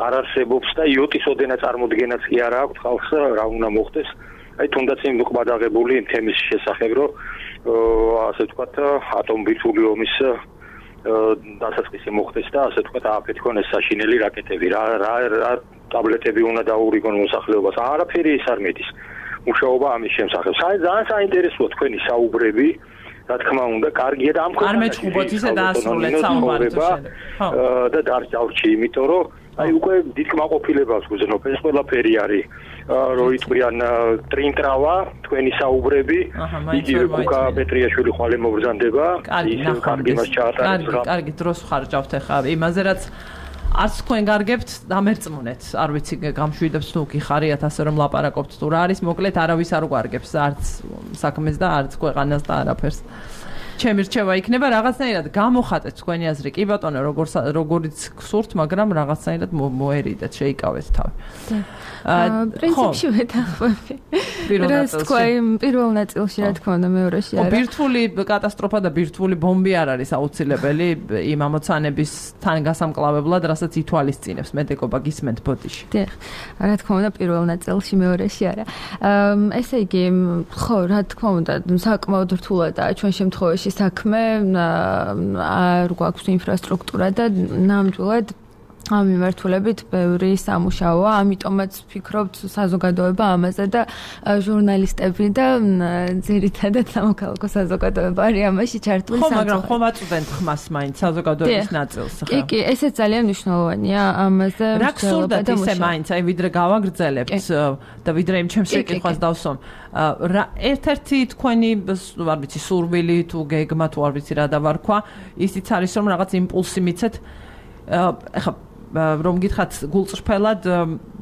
არ არსებობს და იოტის ოდენა წარმოდგენაც კი არ აქვს ხალხს რა უნდა მოხდეს აი თუნდაც იმ ყბადაღებული თემის შესახებ რომ ასე ვთქვათ ატომბირთული ომის დასაწყისი მოხდეს და ასე ვთქვათ აფეთქონ ეს საშინელი რაკეტები რა რა ტაბლეტები უნდა დაურიგონ მოსახლეობას არაფერი ის არ მედის მუშაობა ამის შემსახებ ძალიან საინტერესოა თქვენი საუბრები რა თქმა უნდა კარგია და ამ არ მეჩხუბოთ ისე დაასრულეთ საუბარი და დარჩავში იმიტომ რომ აი უკვე დიდ კმაყოფილებას გვზნობ ეს ყველაფერი არის რო იტყვიან ტრინტრავა თქვენი საუბრები იგივე კუკა პეტრიაშვილი ხვალე მოგზანდება ის კარგი მას ჩაატარებს რა კარგი დროს ხარჯავთ ახლა იმაზე რაც არც თქვენ გარგებთ დამერწმუნეთ არ ვიცი გამშვიდებს თუ გიხარიათ ასე რომ ლაპარაკობთ თუ რა არის მოკლედ არავის არ გვარგებს არც საქმეს და არც ქვეყანას და არაფერს ჩემი რჩევა იქნება რაღაცნაირად გამოხატეთ თქვენი აზრი კი ბატონო როგორც როგორც გსურთ მაგრამ რაღაცნაირად მოერიდეთ შეიკავეთ თავი პრინციპში ვეთანხმები რაც თქვა იმ პირველ ნაწილში რა თქმა უნდა მეორეში არა ბირთვული კატასტროფა და ბირთვული ბომბი არ არის აუცილებელი იმ ამოცანების თან გასამკლავებლად რასაც ითვალისწინებს მედიკობა გისმენთ ბოდიში დიახ რა თქმა უნდა პირველ ნაწილში მეორეში არა ესე იგი ხო რა თქმა უნდა საკმაოდ რთულადაა ჩვენ შემთხვევაში საქმე არ გვაქვს ინფრასტრუქტურა და ნამდვილად ამ მიმართულებით ბევრი სამუშაოა, ამიტომაც ვფიქრობთ საზოგადოება ამაზე და ჟურნალისტები და ძირითადად სამოქალაქო საზოგადოება არის ამაში ჩართული სამწუხაროდ. ხო, მაგრამ ხომ აწვდენთ ხმას მაინც საზოგადოების ნაწილს ხა? კი, კი, ესეც ძალიან მნიშვნელოვანია ამაზე. რა გსურდათ ისე მაინც, აი ვიდრე გავაგრძელებთ და ვიდრე იმ ჩემს შეკითხვას დავსვამ. რა ერთ-ერთი თქვენი არ ვიცი სურვილი თუ გეგმა თუ არ ვიცი რა დავარქვა, ისიც არის რომ რაღაც იმპულსი მიცეთ ახლა რომ გითხრათ გულწრფელად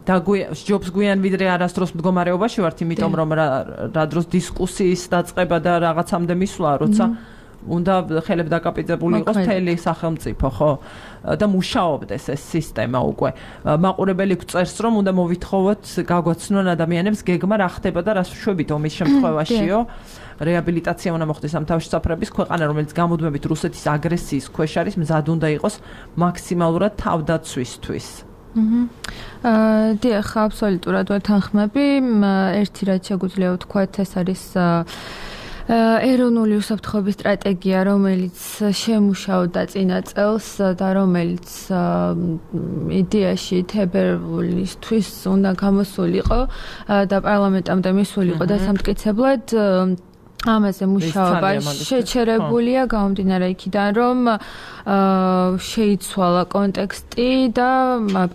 ჯობს გვიან ვიდრე არასდროს მდგომარეობაში ვართ იმიტომ რომ რა დროს დისკუსიის დაწყება და რაღაცამდე მისვლა როცა უნდა ხელებ დაკაპიტებული იყოს მთელი სახელმწიფო ხო და მუშაობდეს ეს სისტემა უკვე მაყურებელი გწერს რომ უნდა მოვითხოვოთ გაგვაცნონ ადამიანებს გეგმა რა ხდება და რას ვშვებით ომის შემთხვევაშიო რეაბილიტაცია უნდა მოხდეს ამ თავშესაფრების ქვეყანა რომელიც გამუდმებით რუსეთის აგრესიის ქვეშ არის მზად უნდა იყოს მაქსიმალურად თავდაცვისთვის აა დიახ აბსოლუტურად ვეთანხმები ერთი რაც შეგვიძლია ვთქვათ ეს არის ეროვნული უსაფრთხოების სტრატეგია, რომელიც შემუშავდა წინა წელს და რომელიც იდეაში თებერვლისთვის უნდა გამოსულიყო და პარლამენტამდე მისულიყო და სამტკიცებლად ამაზე მუშაობა შეჩერებულია გამომდინარე იქიდან რომ შეიცვალა კონტექსტი და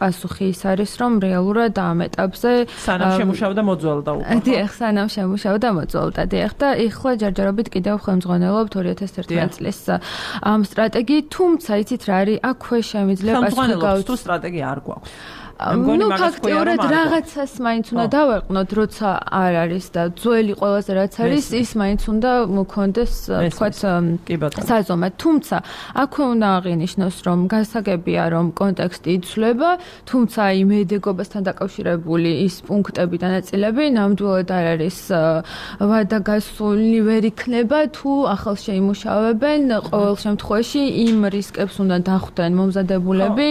პასუხი ის არის რომ რეალურად ამ ეტაპზე სანამ შემუშავდა მოძველდა უკვე დიახ სანამ შემუშავდა მოძველდა დიახ და ეხლა ჯერჯერობით კიდევ ხელმძღვანელობთ ორი ათას ერთმანეტ წლის ამ სტრატეგიით თუმცა იცით რა არის აქვე შემიძლია პასუხი გავუწევთ თუ სტრატეგია არ გვაქვს ნუ ფაქტიურად რაღაცას მაინც უნდა დავაყნოთ, როცა არ არის და ძველი ყველაზე რაც არის, ის მაინც უნდა მოქონდეს, თქვათ, საზომად. თუმცა, აქვე უნდა აღინიშნოს, რომ გასაგებია, რომ კონტექსტი იცვლება, თუმცა იმ მედიკობასთან დაკავშირებული ის პუნქტები და ნაწილები ნამდვილად არ არის ვადაგასული ვერ იქნება, თუ ახალ შეიმუშავებენ, ყოველ შემთხვევაში იმ რისკებს უნდა დახვდნენ მომზადებულები,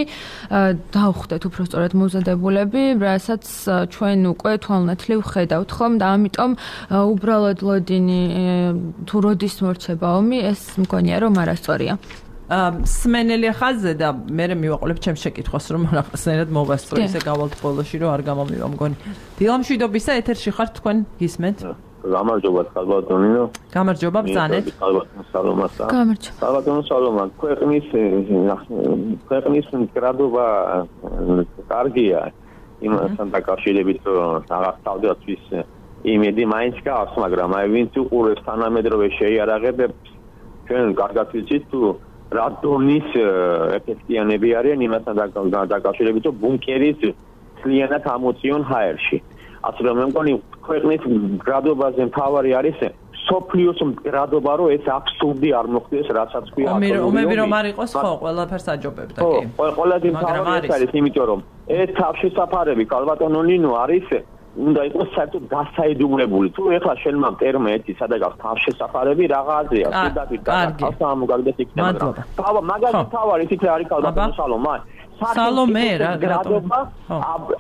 დახვდეთ უბრალოდ მომზადებულები, რასაც ჩვენ უკვე თვალნათლივ ხედავთ ხომ და ამიტომ უბრალოდ ლოდინი თუ როდის მორჩება ომი, ეს მგონია რომ არასწორია. სმენელი ხაზზე და მე მივაყოლებ ჩემს შეკითხვას რომ რაღაცნაირად მოვასწრო ისე გავალთ ბოლოში რომ არ გამომივა მგონი. დილამშვიდობისა ეთერში ხართ თქვენ გისმენთ? გამარჯობა ხალბატონინო. გამარჯობა ბრძანეთ. ხალბატონო სალომასა. გამარჯობა. ხალბატონო სალომა, ქვეყნის ქვეყნის მდგრადობა კარგია. იმასთან დაკავშირებით რომ რაღაც თავდაცვის იმედი მაინც გავს, მაგრამ აი ვინც უყურებს თანამედროვე შეიარაღებებს, ჩვენ კარგად ვიცით თუ რა დონის ეფექტიანები არიან იმასთან დაკავშირებით რომ ბუნკერის ძალიანად ამოწიონ ჰაერში. ასე რომ მე მგონი ქვეყნის მდგრადობაზე მთავარი არის სოფლიოს მდგრადობა რომ ეს აბსურდი არ მოხდეს რასაც ქვია ომები რომ არ იყოს ხო ყველაფერს აჯობებდა კი ხო ყველაზე მთავარი ეს არის იმიტომ რომ ეს თავშესაფარები ქალბატონო ნინო არის უნდა იყოს საერთოდ გასაიდუმლებული თუ ეხლა შენ მამ ტერმა ერთი სადაგავს თავშესაფარები რაღაცია სიდაგით გასახსა ამოგაგდეს იქნება მაგრამ მაგალითად თავარი თითე არის ქალბატონო სალომა სალომე რა გრადობა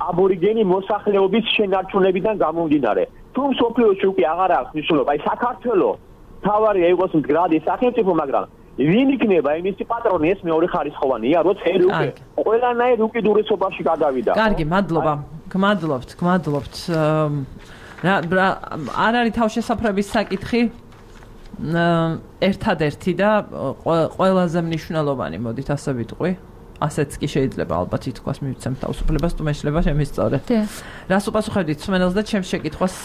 აბორიგენი მოსახლეობის შენარჩუნებიდან გამომდინარე. თუ სოფლიოში უკვე აღარ აქვს მნიშვნელობა, აი საქართველოს თავარია იყოს მდგრადი სახელმწიფო, მაგრამ ვინ იქნება იმისი პატრონი ეს მეორე ხარისხოვანია, როცა ერი უკვე ყველანაირ უკიდურესობაში გადავიდა. კარგი, მადლობა. გმადლობთ, გმადლობთ. რა არ არის თავშესაფრების საკითხი? ერთადერთი და ყველაზე მნიშვნელოვანი, მოდით ასე ვიტყვი. ასეც კი შეიძლება ალბათ ითქვას მივცემ თავისუფლებას თუ მეშლება შემისწორე. რას უპასუხებდით სმენელს და ჩემს შეკითხვას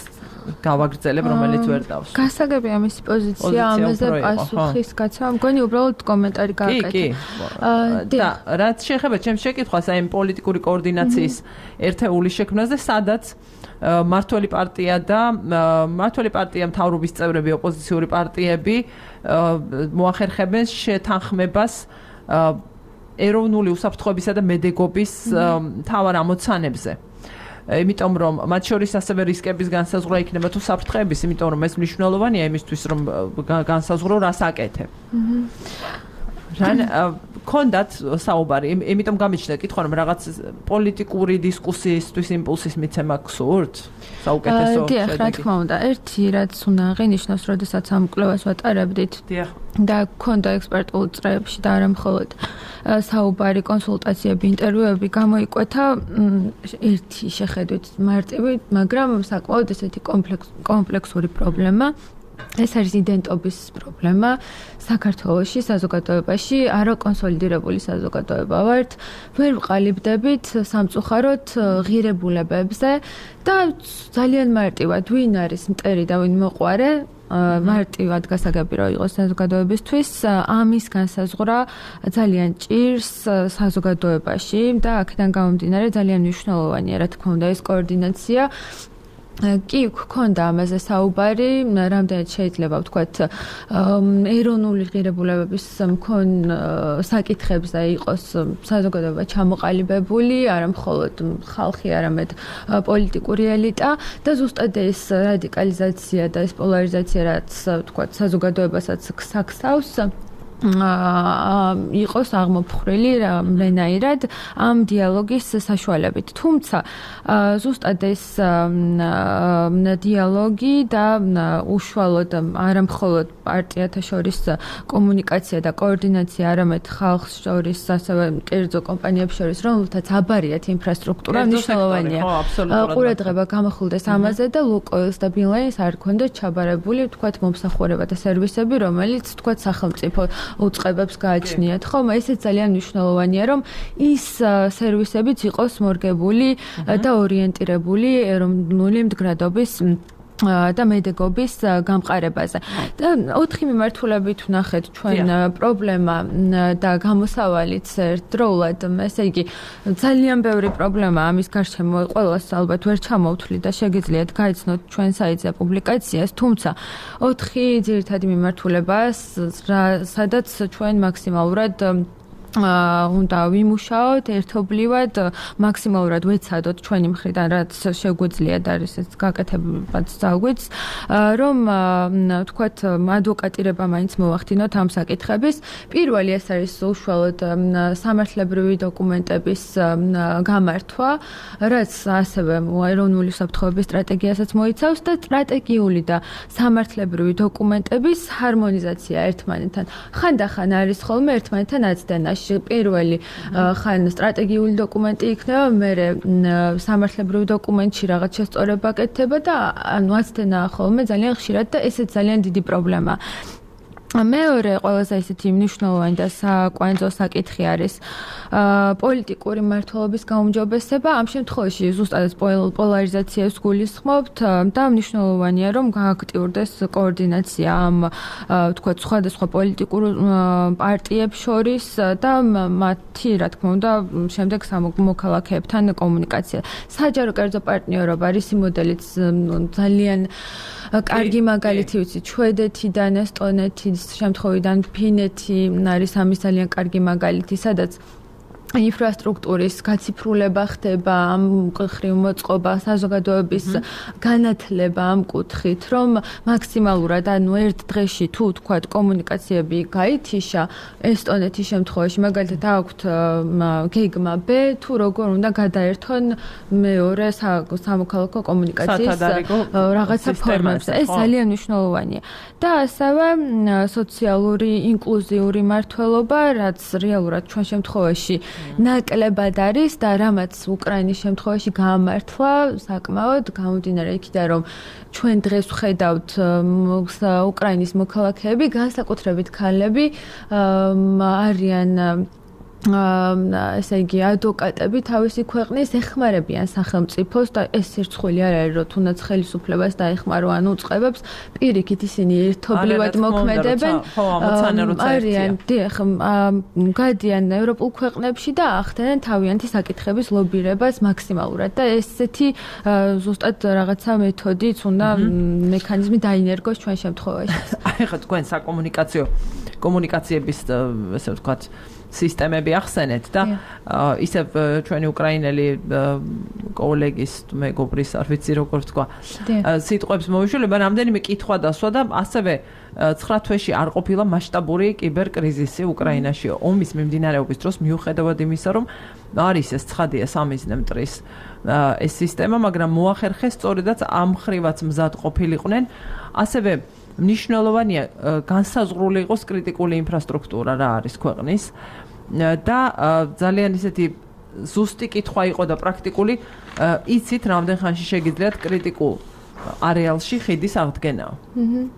გავაგრძელებ რომელიც ვერ დავს. გასაგებია მისი პოზიცია ამაზე პასუხის გაცემა. მგონი უბრალოდ კომენტარი გააკეთე. კი, კი. და რაც შეეხება ჩემს შეკითხვას აი პოლიტიკური კოორდინაციის ერთეული შექმნაზე, სადაც მართველი პარტია და მართველი პარტია მთავრობის წევრები, ოპოზიციური პარტიები მოახერხებენ შეთანხმებას ეროვნული უსაფრთხოებისა და მედეგობის მთავარ ამოცანებზე. იმიტომ რომ მათ შორის ასევე რისკების განსაზღვრა იქნება თუ საფრთხეების, იმიტომ რომ ეს მნიშვნელოვანია იმისთვის რომ განსაზღვრო რას აკეთებ. რან კონდათ საუბარი, იმიტომ გამიჩნდა კითხვა რომ რაღაც პოლიტიკური დისკუსიისთვის იმპულსის მიცემა გსურთ? საუკეთესო შედეგი. დიახ, რა თქმა უნდა, ერთი რაც უნდა აღინიშნოს, როდესაც ამ კვლევას ვატარებდით. დიახ. და კონდა ექსპერტულ წრეებში და არა მხოლოდ საუბარი, კონსულტაციები, ინტერვიუები გამოიკვეთა ერთი შეხედვით მარტივი, მაგრამ საკმაოდ ესეთი კომპლექსური პრობლემა. ეს არის იდენტობის პრობლემა საქართველოში, საზოგადოებაში, არაკონსოლიდირებული საზოგადოება ვართ, ვერ ვყალიბდებით სამწუხაროდ ღირებულებებზე და ძალიან მარტივად ვინ არის მტერი და ვინ მოყვარე, მარტივად გასაგები რომ იყოს საზოგადოებისთვის, ამის განსაზღვრა ძალიან ჭირს საზოგადოებაში და აქედან გამომდინარე ძალიან მნიშვნელოვანია, რა თქმა უნდა, ეს კოორდინაცია. კი, გქონდა ამაზე საუბარი, რამდენად შეიძლება ვთქვათ, ეროვნული ღირებულებების მქონ საკითხებზე იყოს საზოგადოება ჩამოყალიბებული, არა მხოლოდ ხალხი, არამედ პოლიტიკური ელიტა და ზუსტად ეს რადიკალიზაცია და ეს პოლარიზაცია, რაც ვთქვათ, საზოგადოებასაც გსაქსავს, იყოს აღმოფხრილი რამენაირად ამ დიალოგის საშუალებით. თუმცა ზუსტად ეს დიალოგი და უშუალოდ არა მხოლოდ პარტიათა შორის კომუნიკაცია და კოორდინაცია, არამედ ხალხს შორის, ასევე კერძო კომპანიებს შორის, რომელთაც აბარიათ ინფრასტრუქტურა მნიშვნელოვანია. ყურადღება გამახვილდეს ამაზე და ლუკოილს და ბილაინს არ ქონდათ ჩაბარებული, ვთქვათ, მომსახურება და სერვისები, რომელიც ვთქვათ სახელმწიფო უწყებებს გააჩნიათ, ხომ? ესეც ძალიან მნიშვნელოვანია, რომ ის სერვისებიც იყოს მორგებული და ორიენტირებული ეროვნული მდგრადობის და მედეგობის გამყარებაზე. და ოთხი მიმართულებით ვნახეთ ჩვენ პრობლემა და გამოსავალიც ერთდროულად, ესე იგი, ძალიან ბევრი პრობლემა ამის გარშემო ყველას ალბათ ვერ ჩამოვთვლი და შეგიძლიათ გაიცნოთ ჩვენ საიტზე პუბლიკაციას, თუმცა ოთხი ძირითადი მიმართულება, სადაც ჩვენ მაქსიმალურად უნდა ვიმუშაოთ ერთობლივად მაქსიმალურად ვეცადოთ ჩვენი მხრიდან რაც შეგვიძლია და ეს გაკეთებაც ძალგვიც რომ თქვათ ადვოკატირება მაინც მოვახდინოთ ამ საკითხების პირველი ეს არის უშუალოდ სამართლებრივი დოკუმენტების გამართვა რაც ასევე ეროვნული საფრთხეობის სტრატეგიასაც მოიცავს და სტრატეგიული და სამართლებრივი დოკუმენტების ჰარმონიზაცია ერთმანეთთან ხანდახან არის ხოლმე ერთმანეთთან აცდენაში პირველი ხან სტრატეგიული დოკუმენტი იქნება, მერე სამართლებრივი დოკუმენტში რაღაც შესწორება კეთდება და ანუ აცდენა ხოლმე ძალიან ხშირად და ესეც ძალიან დიდი პრობლემაა. მეორე ყველაზე ისეთი მნიშვნელოვანი და საკვანძო საკითხი არის პოლიტიკური მმართველობის გაუმჯობესება. ამ შემთხვევაში ზუსტად პოლარიზაციას გულისხმობთ და მნიშვნელოვანია რომ გააქტიურდეს კოორდინაცია ამ თქვათ სხვადასხვა პოლიტიკურ პარტიებს შორის და მათი რა თქმა უნდა შემდეგ მოქალაქეებთან კომუნიკაცია. საჯარო კერძო პარტნიორობა არის მოდელიც ძალიან კარგი მაგალითი ვიცი შვედეთიდან, ესტონეთის შემთხვევიდან ფინეთი არის ამის ძალიან კარგი მაგალითი, სადაც ინფრასტრუქტურის გაციფრულება ხდება ამ კუთხით მოწყობა საზოგადოების განათლება ამ კუთხით რომ მაქსიმალურად ანუ ერთ დღეში თუ თქვა კომუნიკაციები გაითიშა ესტონეთის შემთხვევაში მაგალითად აქვთ გეგმა B თუ როგორ უნდა გადაერთონ მეორე სამოქალაქო კომუნიკაციის რაღაცა ფორმებზე ეს ძალიან მნიშვნელოვანია და ასევე სოციალური ინკლუზიური მმართველობა რაც რეალურად ჩვენ შემთხვევაში ნაკლებად არის და რამაც უკრაინის შემთხვევაში გაამართლა საკმაოდ გამომდინარე იქიდან რომ ჩვენ დღეს ვხედავთ უკრაინის მოქალაქეები განსაკუთრებით ქალები არიან ესე იგი ადვოკატები თავისი ქვეყნის ეხმარებიან სახელმწიფოს და ეს სირცხვილი არ არის რომ თუნდაც ხელისუფლებას დაეხმარო ან უწყებებს პირიქით ისინი ერთობლივად მოქმედებენ არიან დიახ გადიან ევროპულ ქვეყნებში და ახდენენ თავიანთი საკითხების ლობირებას მაქსიმალურად და ესეთი ზუსტად რაღაცა მეთოდიც უნდა მექანიზმი დაინერგოს ჩვენ შემთხვევაში აი ხა თქვენ საკომუნიკაციო კომუნიკაციების ესე ვთქვათ სისტემები ახსენეთ და ისევ ჩვენი უკრაინელი კოლეგის მეგობრის არ ვიცი როგორ თქვა სიტყვებს მოვიშველება რამდენიმე კითხვა დასვა და ასევე ცხრა თვეში არ ყოფილა მასშტაბური კიბერკრიზისი უკრაინაში ომის მიმდინარეობის დროს მიუხედავად იმისა რომ არის ეს ცხადია სამიზნე მტრის ეს სისტემა მაგრამ მოახერხეს სწორედაც ამ ხრივაც მზად ყოფილიყვნენ ასევე მნიშვნელოვანია განსაზღვრული იყოს კრიტიკული ინფრასტრუქტურა რა არის ქვეყნის და ძალიან ისეთი ზუსტი კითხვა იყო და პრაქტიკული იცით რამდენ ხანში შეგიძლიათ კრიტიკულ არეალში ხიდის აღდგენა.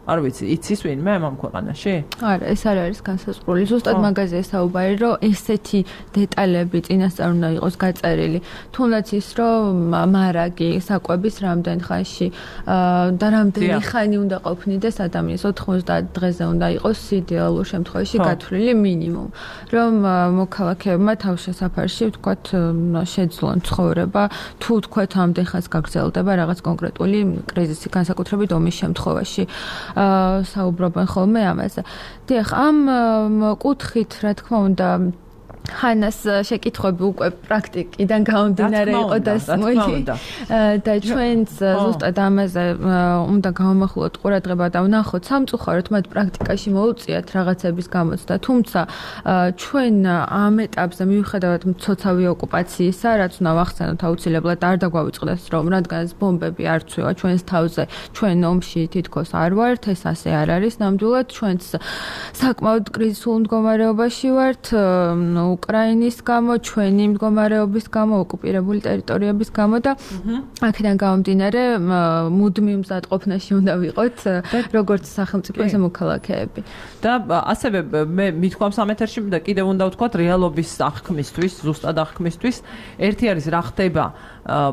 არ ვიცი, იცის ვინმე ამ ქვეყანაში? არა, ეს არ არის განსაზღვრული. ზუსტად მაგაზე საუბარი, რომ ესეთი დეტალები წინასწარ უნდა იყოს გაწერილი. თუნდაც ის, რომ მარაგი საკვების რამდენ ხანში და რამდენი ხანი უნდა ყოფნიდეს ადამიანს ოთხმოცდაათ დღეზე უნდა იყოს იდეალურ შემთხვევაში გათვლილი მინიმუმ. რომ მოქალაქეებმა თავშესაფარში ვთქვათ შეძლონ ცხოვრება, თუ ვთქვათ ამდენ ხანს გაგრძელდება რაღაც კონკრეტული კრიზისი განსაკუთრებით ომის შემთხვევაში საუბრობენ ხოლმე ამაზე. დიახ, ამ კუთხით, რა თქმა უნდა, ხანას შეკითხვები უკვე პრაქტიკიდან გამომდინარე იყო დასმული და ჩვენც ზუსტად ამაზე უნდა გავამახვილოთ ყურადღება და ვნახოთ სამწუხაროდ მათ პრაქტიკაში მოუწიათ რაღაცების გამოცდა. თუმცა ჩვენ ამ ეტაპზე მიუხედავად მცოცავი ოკუპაციისა, რაც უნდა ვახსენოთ აუცილებლად არ დაგვავიწყდეს რომ რადგანაც ბომბები არ ცვივა ჩვენს თავზე, ჩვენ ომში თითქოს არ ვართ, ეს ასე არ არის ნამდვილად. ჩვენც საკმაოდ კრიზისულ მდგომარეობაში ვართ უკრაინის გამო, ჩვენი მდგომარეობის გამო, ოკუპირებული ტერიტორიების გამო და აქედან გამომდინარე მუდმივ მზადყოფნაში უნდა ვიყოთ, როგორც სახელმწიფო, ესე მოქალაქეები. და ასევე მე მithქვამს ამ ეთერში და კიდევ უნდა ვთქვათ რეალობის აღქმისთვის, ზუსტად აღქმისთვის, ერთი არის რა ხდება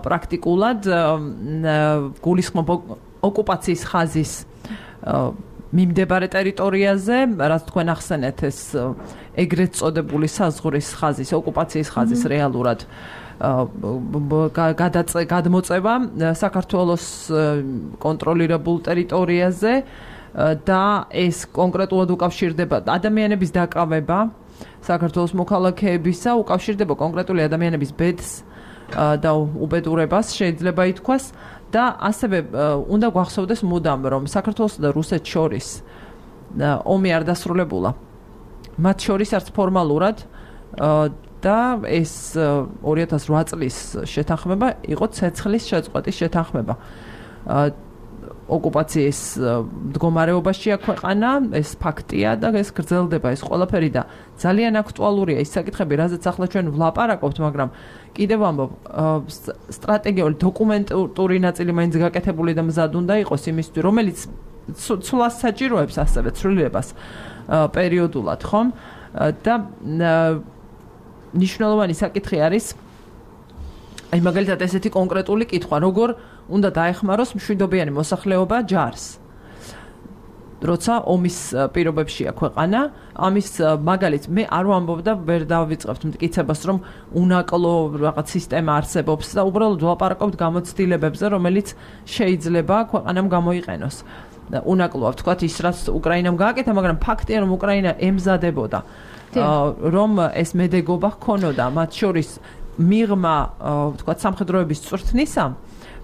პრაქტიკულად გულისხმობ ოკუპაციის ხაზის მიმდებარე ტერიტორიაზე, რაც თქვენ ახსენეთ ეს ეგრეთ წოდებული საზღვრის ხაზის, ოკუპაციის ხაზის რეალურად გადმოწევა საქართველოს კონტროლირებულ ტერიტორიაზე და ეს კონკრეტულად უკავშირდება ადამიანების დაკავება საქართველოს მოქალაქეებისა, უკავშირდება კონკრეტული ადამიანების ბედს და უბედურებას შეიძლება ითქვას და ასევე უნდა გვახსოვდეს მუდამ რომ საქართველოსა და რუსეთს შორის ომი არ დასრულებულა. მათ შორის არც ფორმალურად და ეს ორი ათას რვა წლის შეთანხმება იყო ცეცხლის შეწყვეტის შეთანხმება. ოკუპაციის მდგომარეობაშია ქვეყანა, ეს ფაქტია და ეს გრძელდება ეს ყველაფერი და ძალიან აქტუალურია ის საკითხები, რაზეც ახლა ჩვენ ვლაპარაკობთ, მაგრამ კიდევ ამბობ, სტრატეგიული დოკუმენტური ნაწილი მაინც გაკეთებული და მზად უნდა იყოს იმისთვის, რომელიც ცვლას საჭიროებს ასევე ცვლილებას პერიოდულად, ხომ? და ნიშნულოვანი საკითხი არის აი მაგალითად ესეთი კონკრეტული კითხვა, როგორ უნდა დაეხმაროს მშვიდობიანი მოსახლეობა ჯარს. როცა ომის პირობებშია ქვეყანა, ამის მაგალით მე არ ვამბობ და ვერ დავიწყებთ მტკიცებას, რომ უნაკლო რაღაც სისტემა არსებობს და უბრალოდ ვლაპარაკობთ გამოცდილებებზე, რომელიც შეიძლება ქვეყანამ გამოიყენოს. უნაკლოა ვთქვათ ის, რაც უკრაინამ გააკეთა, მაგრამ ფაქტია, რომ უკრაინა ემზადებოდა, რომ ეს მედეგობა ჰქონოდა, მათ შორის მიღმა, ვთქვათ, სამხედროების წვრთნისა,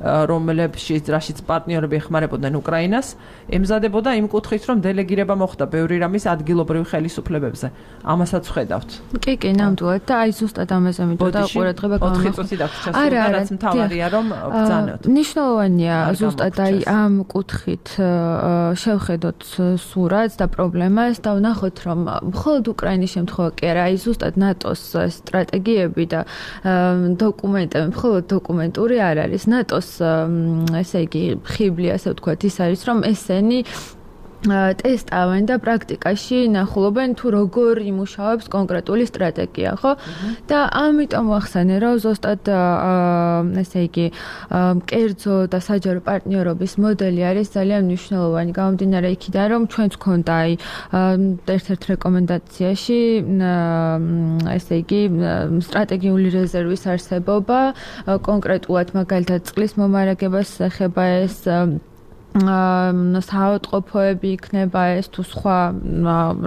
რომლებშიც რაშიც პარტნიორები ეხმარებოდნენ უკრაინას, ემზადებოდა იმ კუთხით, რომ დელეგირება მოხდა ბევრი რამის ადგილობრივ ხელისუფლებებზე. ამასაც ვხედავთ. კი, კი, ნამდვილად და აი ზუსტად ამაზე მინდოდა ყურადღება გამოხატა. ოთხი წუთი დაგვრჩა, რაც მთავარია, რომ ბრძანოთ. ნიშნულოვანია ზუსტად აი ამ კუთხით შევხედოთ სურათს და პრობლემას და ვნახოთ, რომ მხოლოდ უკრაინის შემთხვევა კი არა, აი ზუსტად ნატოს სტრატეგიები და დოკუმენტები, მხოლოდ დოკუმენტური არ არის. ნატოს ესე იგი ხიბლი ასე ვთქვათ ის არის რომ ესენი ტესტავენ და პრაქტიკაში ნახულობენ თუ როგორ იმუშავებს კონკრეტული სტრატეგია, ხო? და ამიტომ ვახსენე, რომ ზუსტად ესე იგი კერძო და საჯარო პარტნიორობის მოდელი არის ძალიან მნიშვნელოვანი. გამომდინარე იქიდან, რომ ჩვენც გქონდა აი ერთ-ერთ რეკომენდაციაში ესე იგი სტრატეგიული რეზერვის არსებობა, კონკრეტულად მაგალითად წყლის მომარაგებას ეხება ეს საავადმყოფოები იქნება ეს თუ სხვა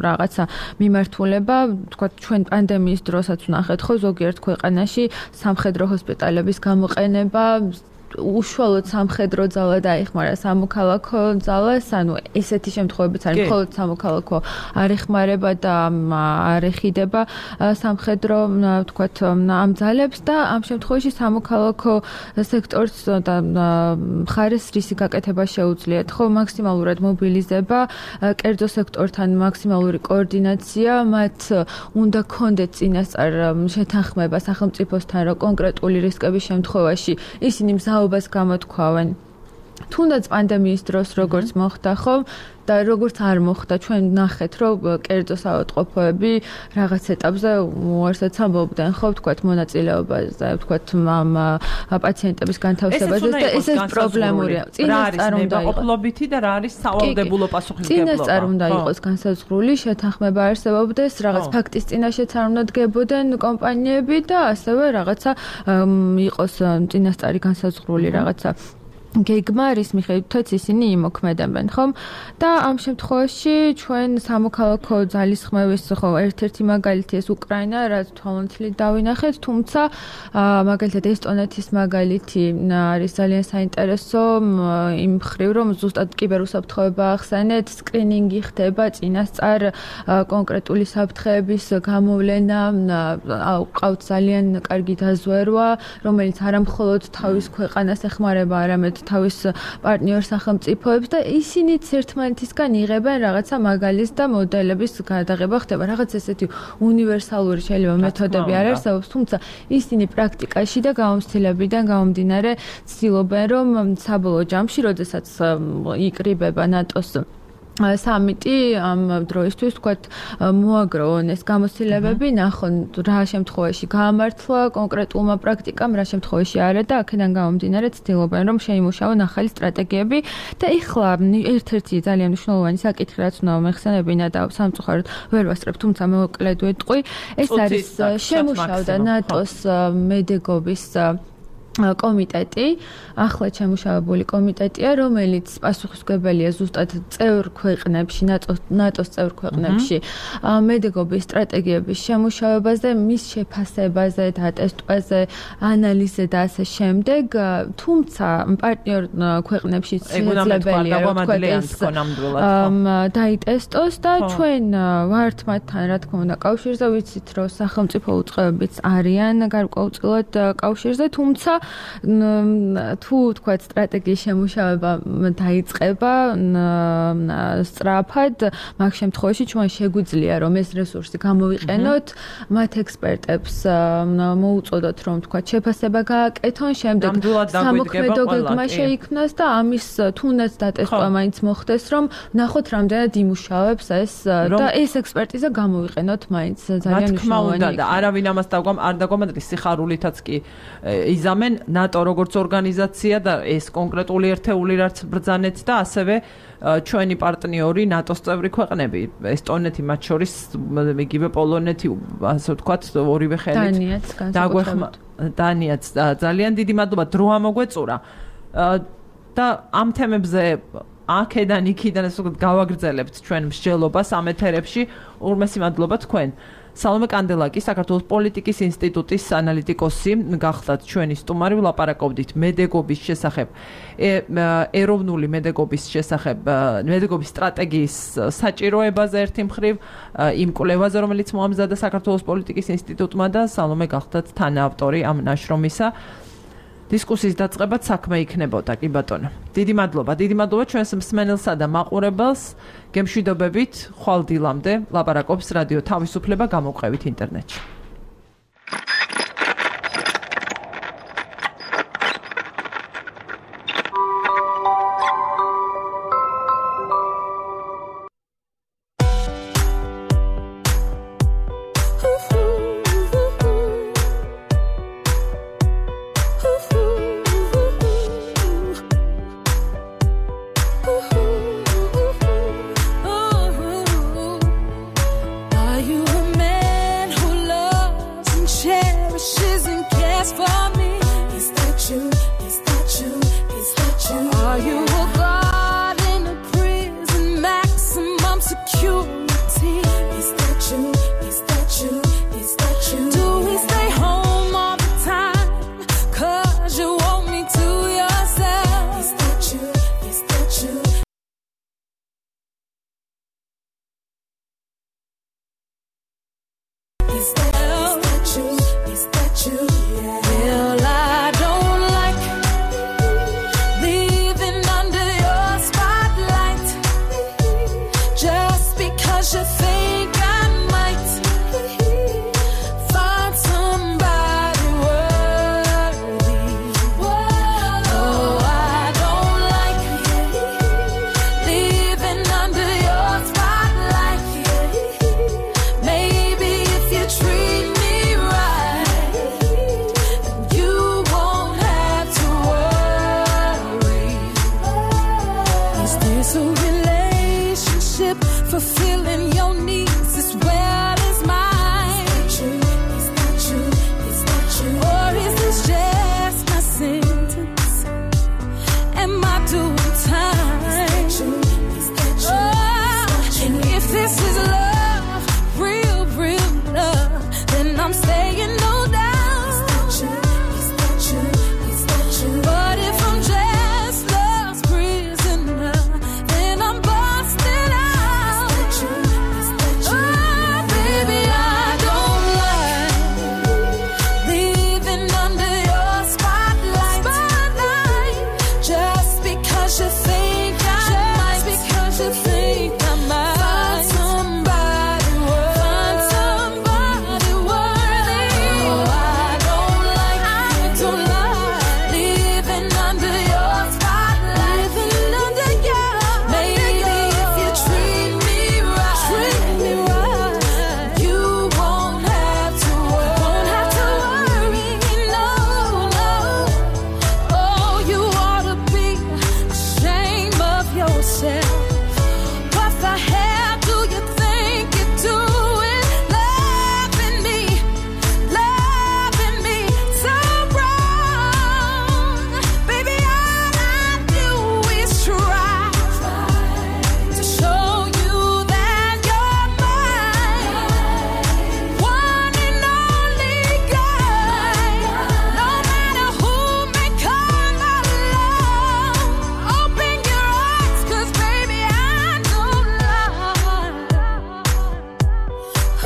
რაღაცა მიმართულება, თქვა ჩვენ პანდემიის დროსაც ვნახეთ ხო ზოგიერთ ქვეყანაში სამხედრო ჰოსპიტალების გამოყენება უშუალოდ სამხედრო ძალა დაიხმარა სამოქალაქო ძალას, ანუ ესეთი შემთხვევებიც არის, მხოლოდ სამოქალაქო არ ეხმარება და არ ეხიდება სამხედრო, ვთქვათ, ამ ძალებს და ამ შემთხვევაში სამოქალაქო სექტორს და მხარეს რისი გაკეთება შეუძლიათ, ხო, მაქსიმალურად მობილიზება, კერძო სექტორთან მაქსიმალური კოორდინაცია, მათ უნდა კონდეთ წინასწარ შეთანხმება სახელმწიფოსთან, რომ კონკრეტული რისკების შემთხვევაში ისინი მზაობას გამოთქვავენ. თუნდაც პანდემიის დროს როგორც მოხდა, ხო? და როგორც არ მოხდა, ჩვენ ნახეთ, რომ კერძო საავადმყოფოები რაღაც ეტაპზე უარსაც ამბობდნენ, ხო, ვთქვათ, მონაწილეობაზე, ვთქვათ, ამ პაციენტების განთავსებაზე და ეს ეს პრობლემურია. წინასწარ უნდა იყოს და რა არის სავალდებულო პასუხისმგებლობა. წინასწარ უნდა იყოს განსაზღვრული, შეთანხმება არსებობდეს, რაღაც ფაქტის წინაშეც არ უნდა დგებოდნენ კომპანიები და ასევე რაღაცა იყოს წინასწარი განსაზღვრული რაღაცა გეგმა, რის მიხედვითაც ისინი იმოქმედებენ, ხომ? და ამ შემთხვევაში ჩვენ სამოქალაქო ძალისხმევის ხო ერთ-ერთი მაგალითი ეს უკრაინა, რაც თვალთვალით დავინახეთ, თუმცა მაგალითად ესტონეთის მაგალითი არის ძალიან საინტერესო იმ მხრივ, რომ ზუსტად კიბერუსაფრთხოება ახსენეთ, სკრინინგი ხდება წინასწარ კონკრეტული საფრთხეების გამოვლენა, ყავთ ძალიან კარგი დაზვერვა, რომელიც არა მხოლოდ თავის ქვეყანას ეხმარება, არამედ თავის პარტნიორ სახელმწიფოებს და ისინიც ერთმანეთისგან იღებენ რაღაცა მაგალის და მოდელების გადაღება ხდება. რაღაც ესეთი უნივერსალური შეიძლება მეთოდები არ არსებობს, თუმცა ისინი პრაქტიკაში და გამოცდილებიდან გამომდინარე ცდილობენ, რომ საბოლოო ჯამში, როდესაც იკრიბება ნატოს სამიტი ამ დროისთვის თქვათ მოაგროვონ ეს გამოცდილებები, ნახონ რა შემთხვევაში გაამართლა კონკრეტულმა პრაქტიკამ, რა შემთხვევაში არა და აქედან გამომდინარე ცდილობენ რომ შეიმუშაონ ახალი სტრატეგიები და ეხლა ერთ-ერთი ძალიან მნიშვნელოვანი საკითხი რაც უნდა მეხსენებინა და სამწუხაროდ ვერ ვასწრებ, თუმცა მოკლედ ვეტყვი, ეს არის შემუშავდა ნატოს მედეგობის კომიტეტი, ახლა შემუშავებული კომიტეტია, რომელიც პასუხისმგებელია ზუსტად წევრ ქვეყნებში, ნატოს წევრ ქვეყნებში მედეგობის სტრატეგიების შემუშავებაზე, მის შეფასებაზე, დატესტვაზე, ანალიზზე და ასე შემდეგ, თუმცა პარტნიორ ქვეყნებში შეძლებელია დაიტესტოს და ჩვენ ვართ მათთან, რა თქმა უნდა, კავშირზე, ვიცით, რომ სახელმწიფო უწყებებიც არიან გარკვეულწილად კავშირზე, თუმცა თუ თქვა სტრატეგიის შემუშავება დაიწყება სწრაფად, მაგ შემთხვევაში ჩვენ შეგვიძლია რომ ეს რესურსი გამოვიყენოთ, მათ ექსპერტებს მოუწოდოთ რომ თქვა შეფასება გააკეთონ, შემდეგ სამოქმედო გეგმა შეიქმნას და ამის თუნდაც დატესტვა მაინც მოხდეს, რომ ნახოთ რამდენად იმუშავებს ეს და ეს ექსპერტიზა გამოვიყენოთ მაინც ძალიან მნიშვნელოვანია. და არავინ ამას არ დაგვამატრის სიხარულითაც კი იზამენ ნატო როგორც ორგანიზაცია და ეს კონკრეტული ერთეული რაც ბრძანეთ და ასევე ჩვენი პარტნიორი ნატოს წევრი ქვეყნები, ესტონეთი მათ შორის, იგივე პოლონეთი, ასე ვთქვათ, ორივე ხელით დაგვეხმა დანიაც ძალიან დიდი მადლობა დრო ამოგვეწურა და ამ თემებზე აქედან იქიდან ასე ვთქვათ გავაგრძელებთ ჩვენ მსჯელობას ამ ეთერებში. ურმესი მადლობა თქვენ. სალომე კანდელაკი, საქართველოს პოლიტიკის ინსტიტუტის ანალიტიკოსი, გახდათ ჩვენი სტუმარი, ვლაპარაკობდით მედეგობის შესახებ, ეროვნული მედეგობის შესახებ, მედეგობის სტრატეგიის საჭიროებაზე ერთი მხრივ, იმ კვლევაზე, რომელიც მოამზადა საქართველოს პოლიტიკის ინსტიტუტმა და სალომე გახდათ თანაავტორი ამ ნაშრომისა. დისკუსიის დაწყებად საქმე იქნებოდა, კი ბატონო. დიდი მადლობა, დიდი მადლობა ჩვენს მსმენელსა და მაყურებელს. გემშვიდობებით, ხვალ დილამდე ლაპარაკობს რადიო თავისუფლება გამოვყევით ინტერნეტში.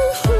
Ooh, ooh.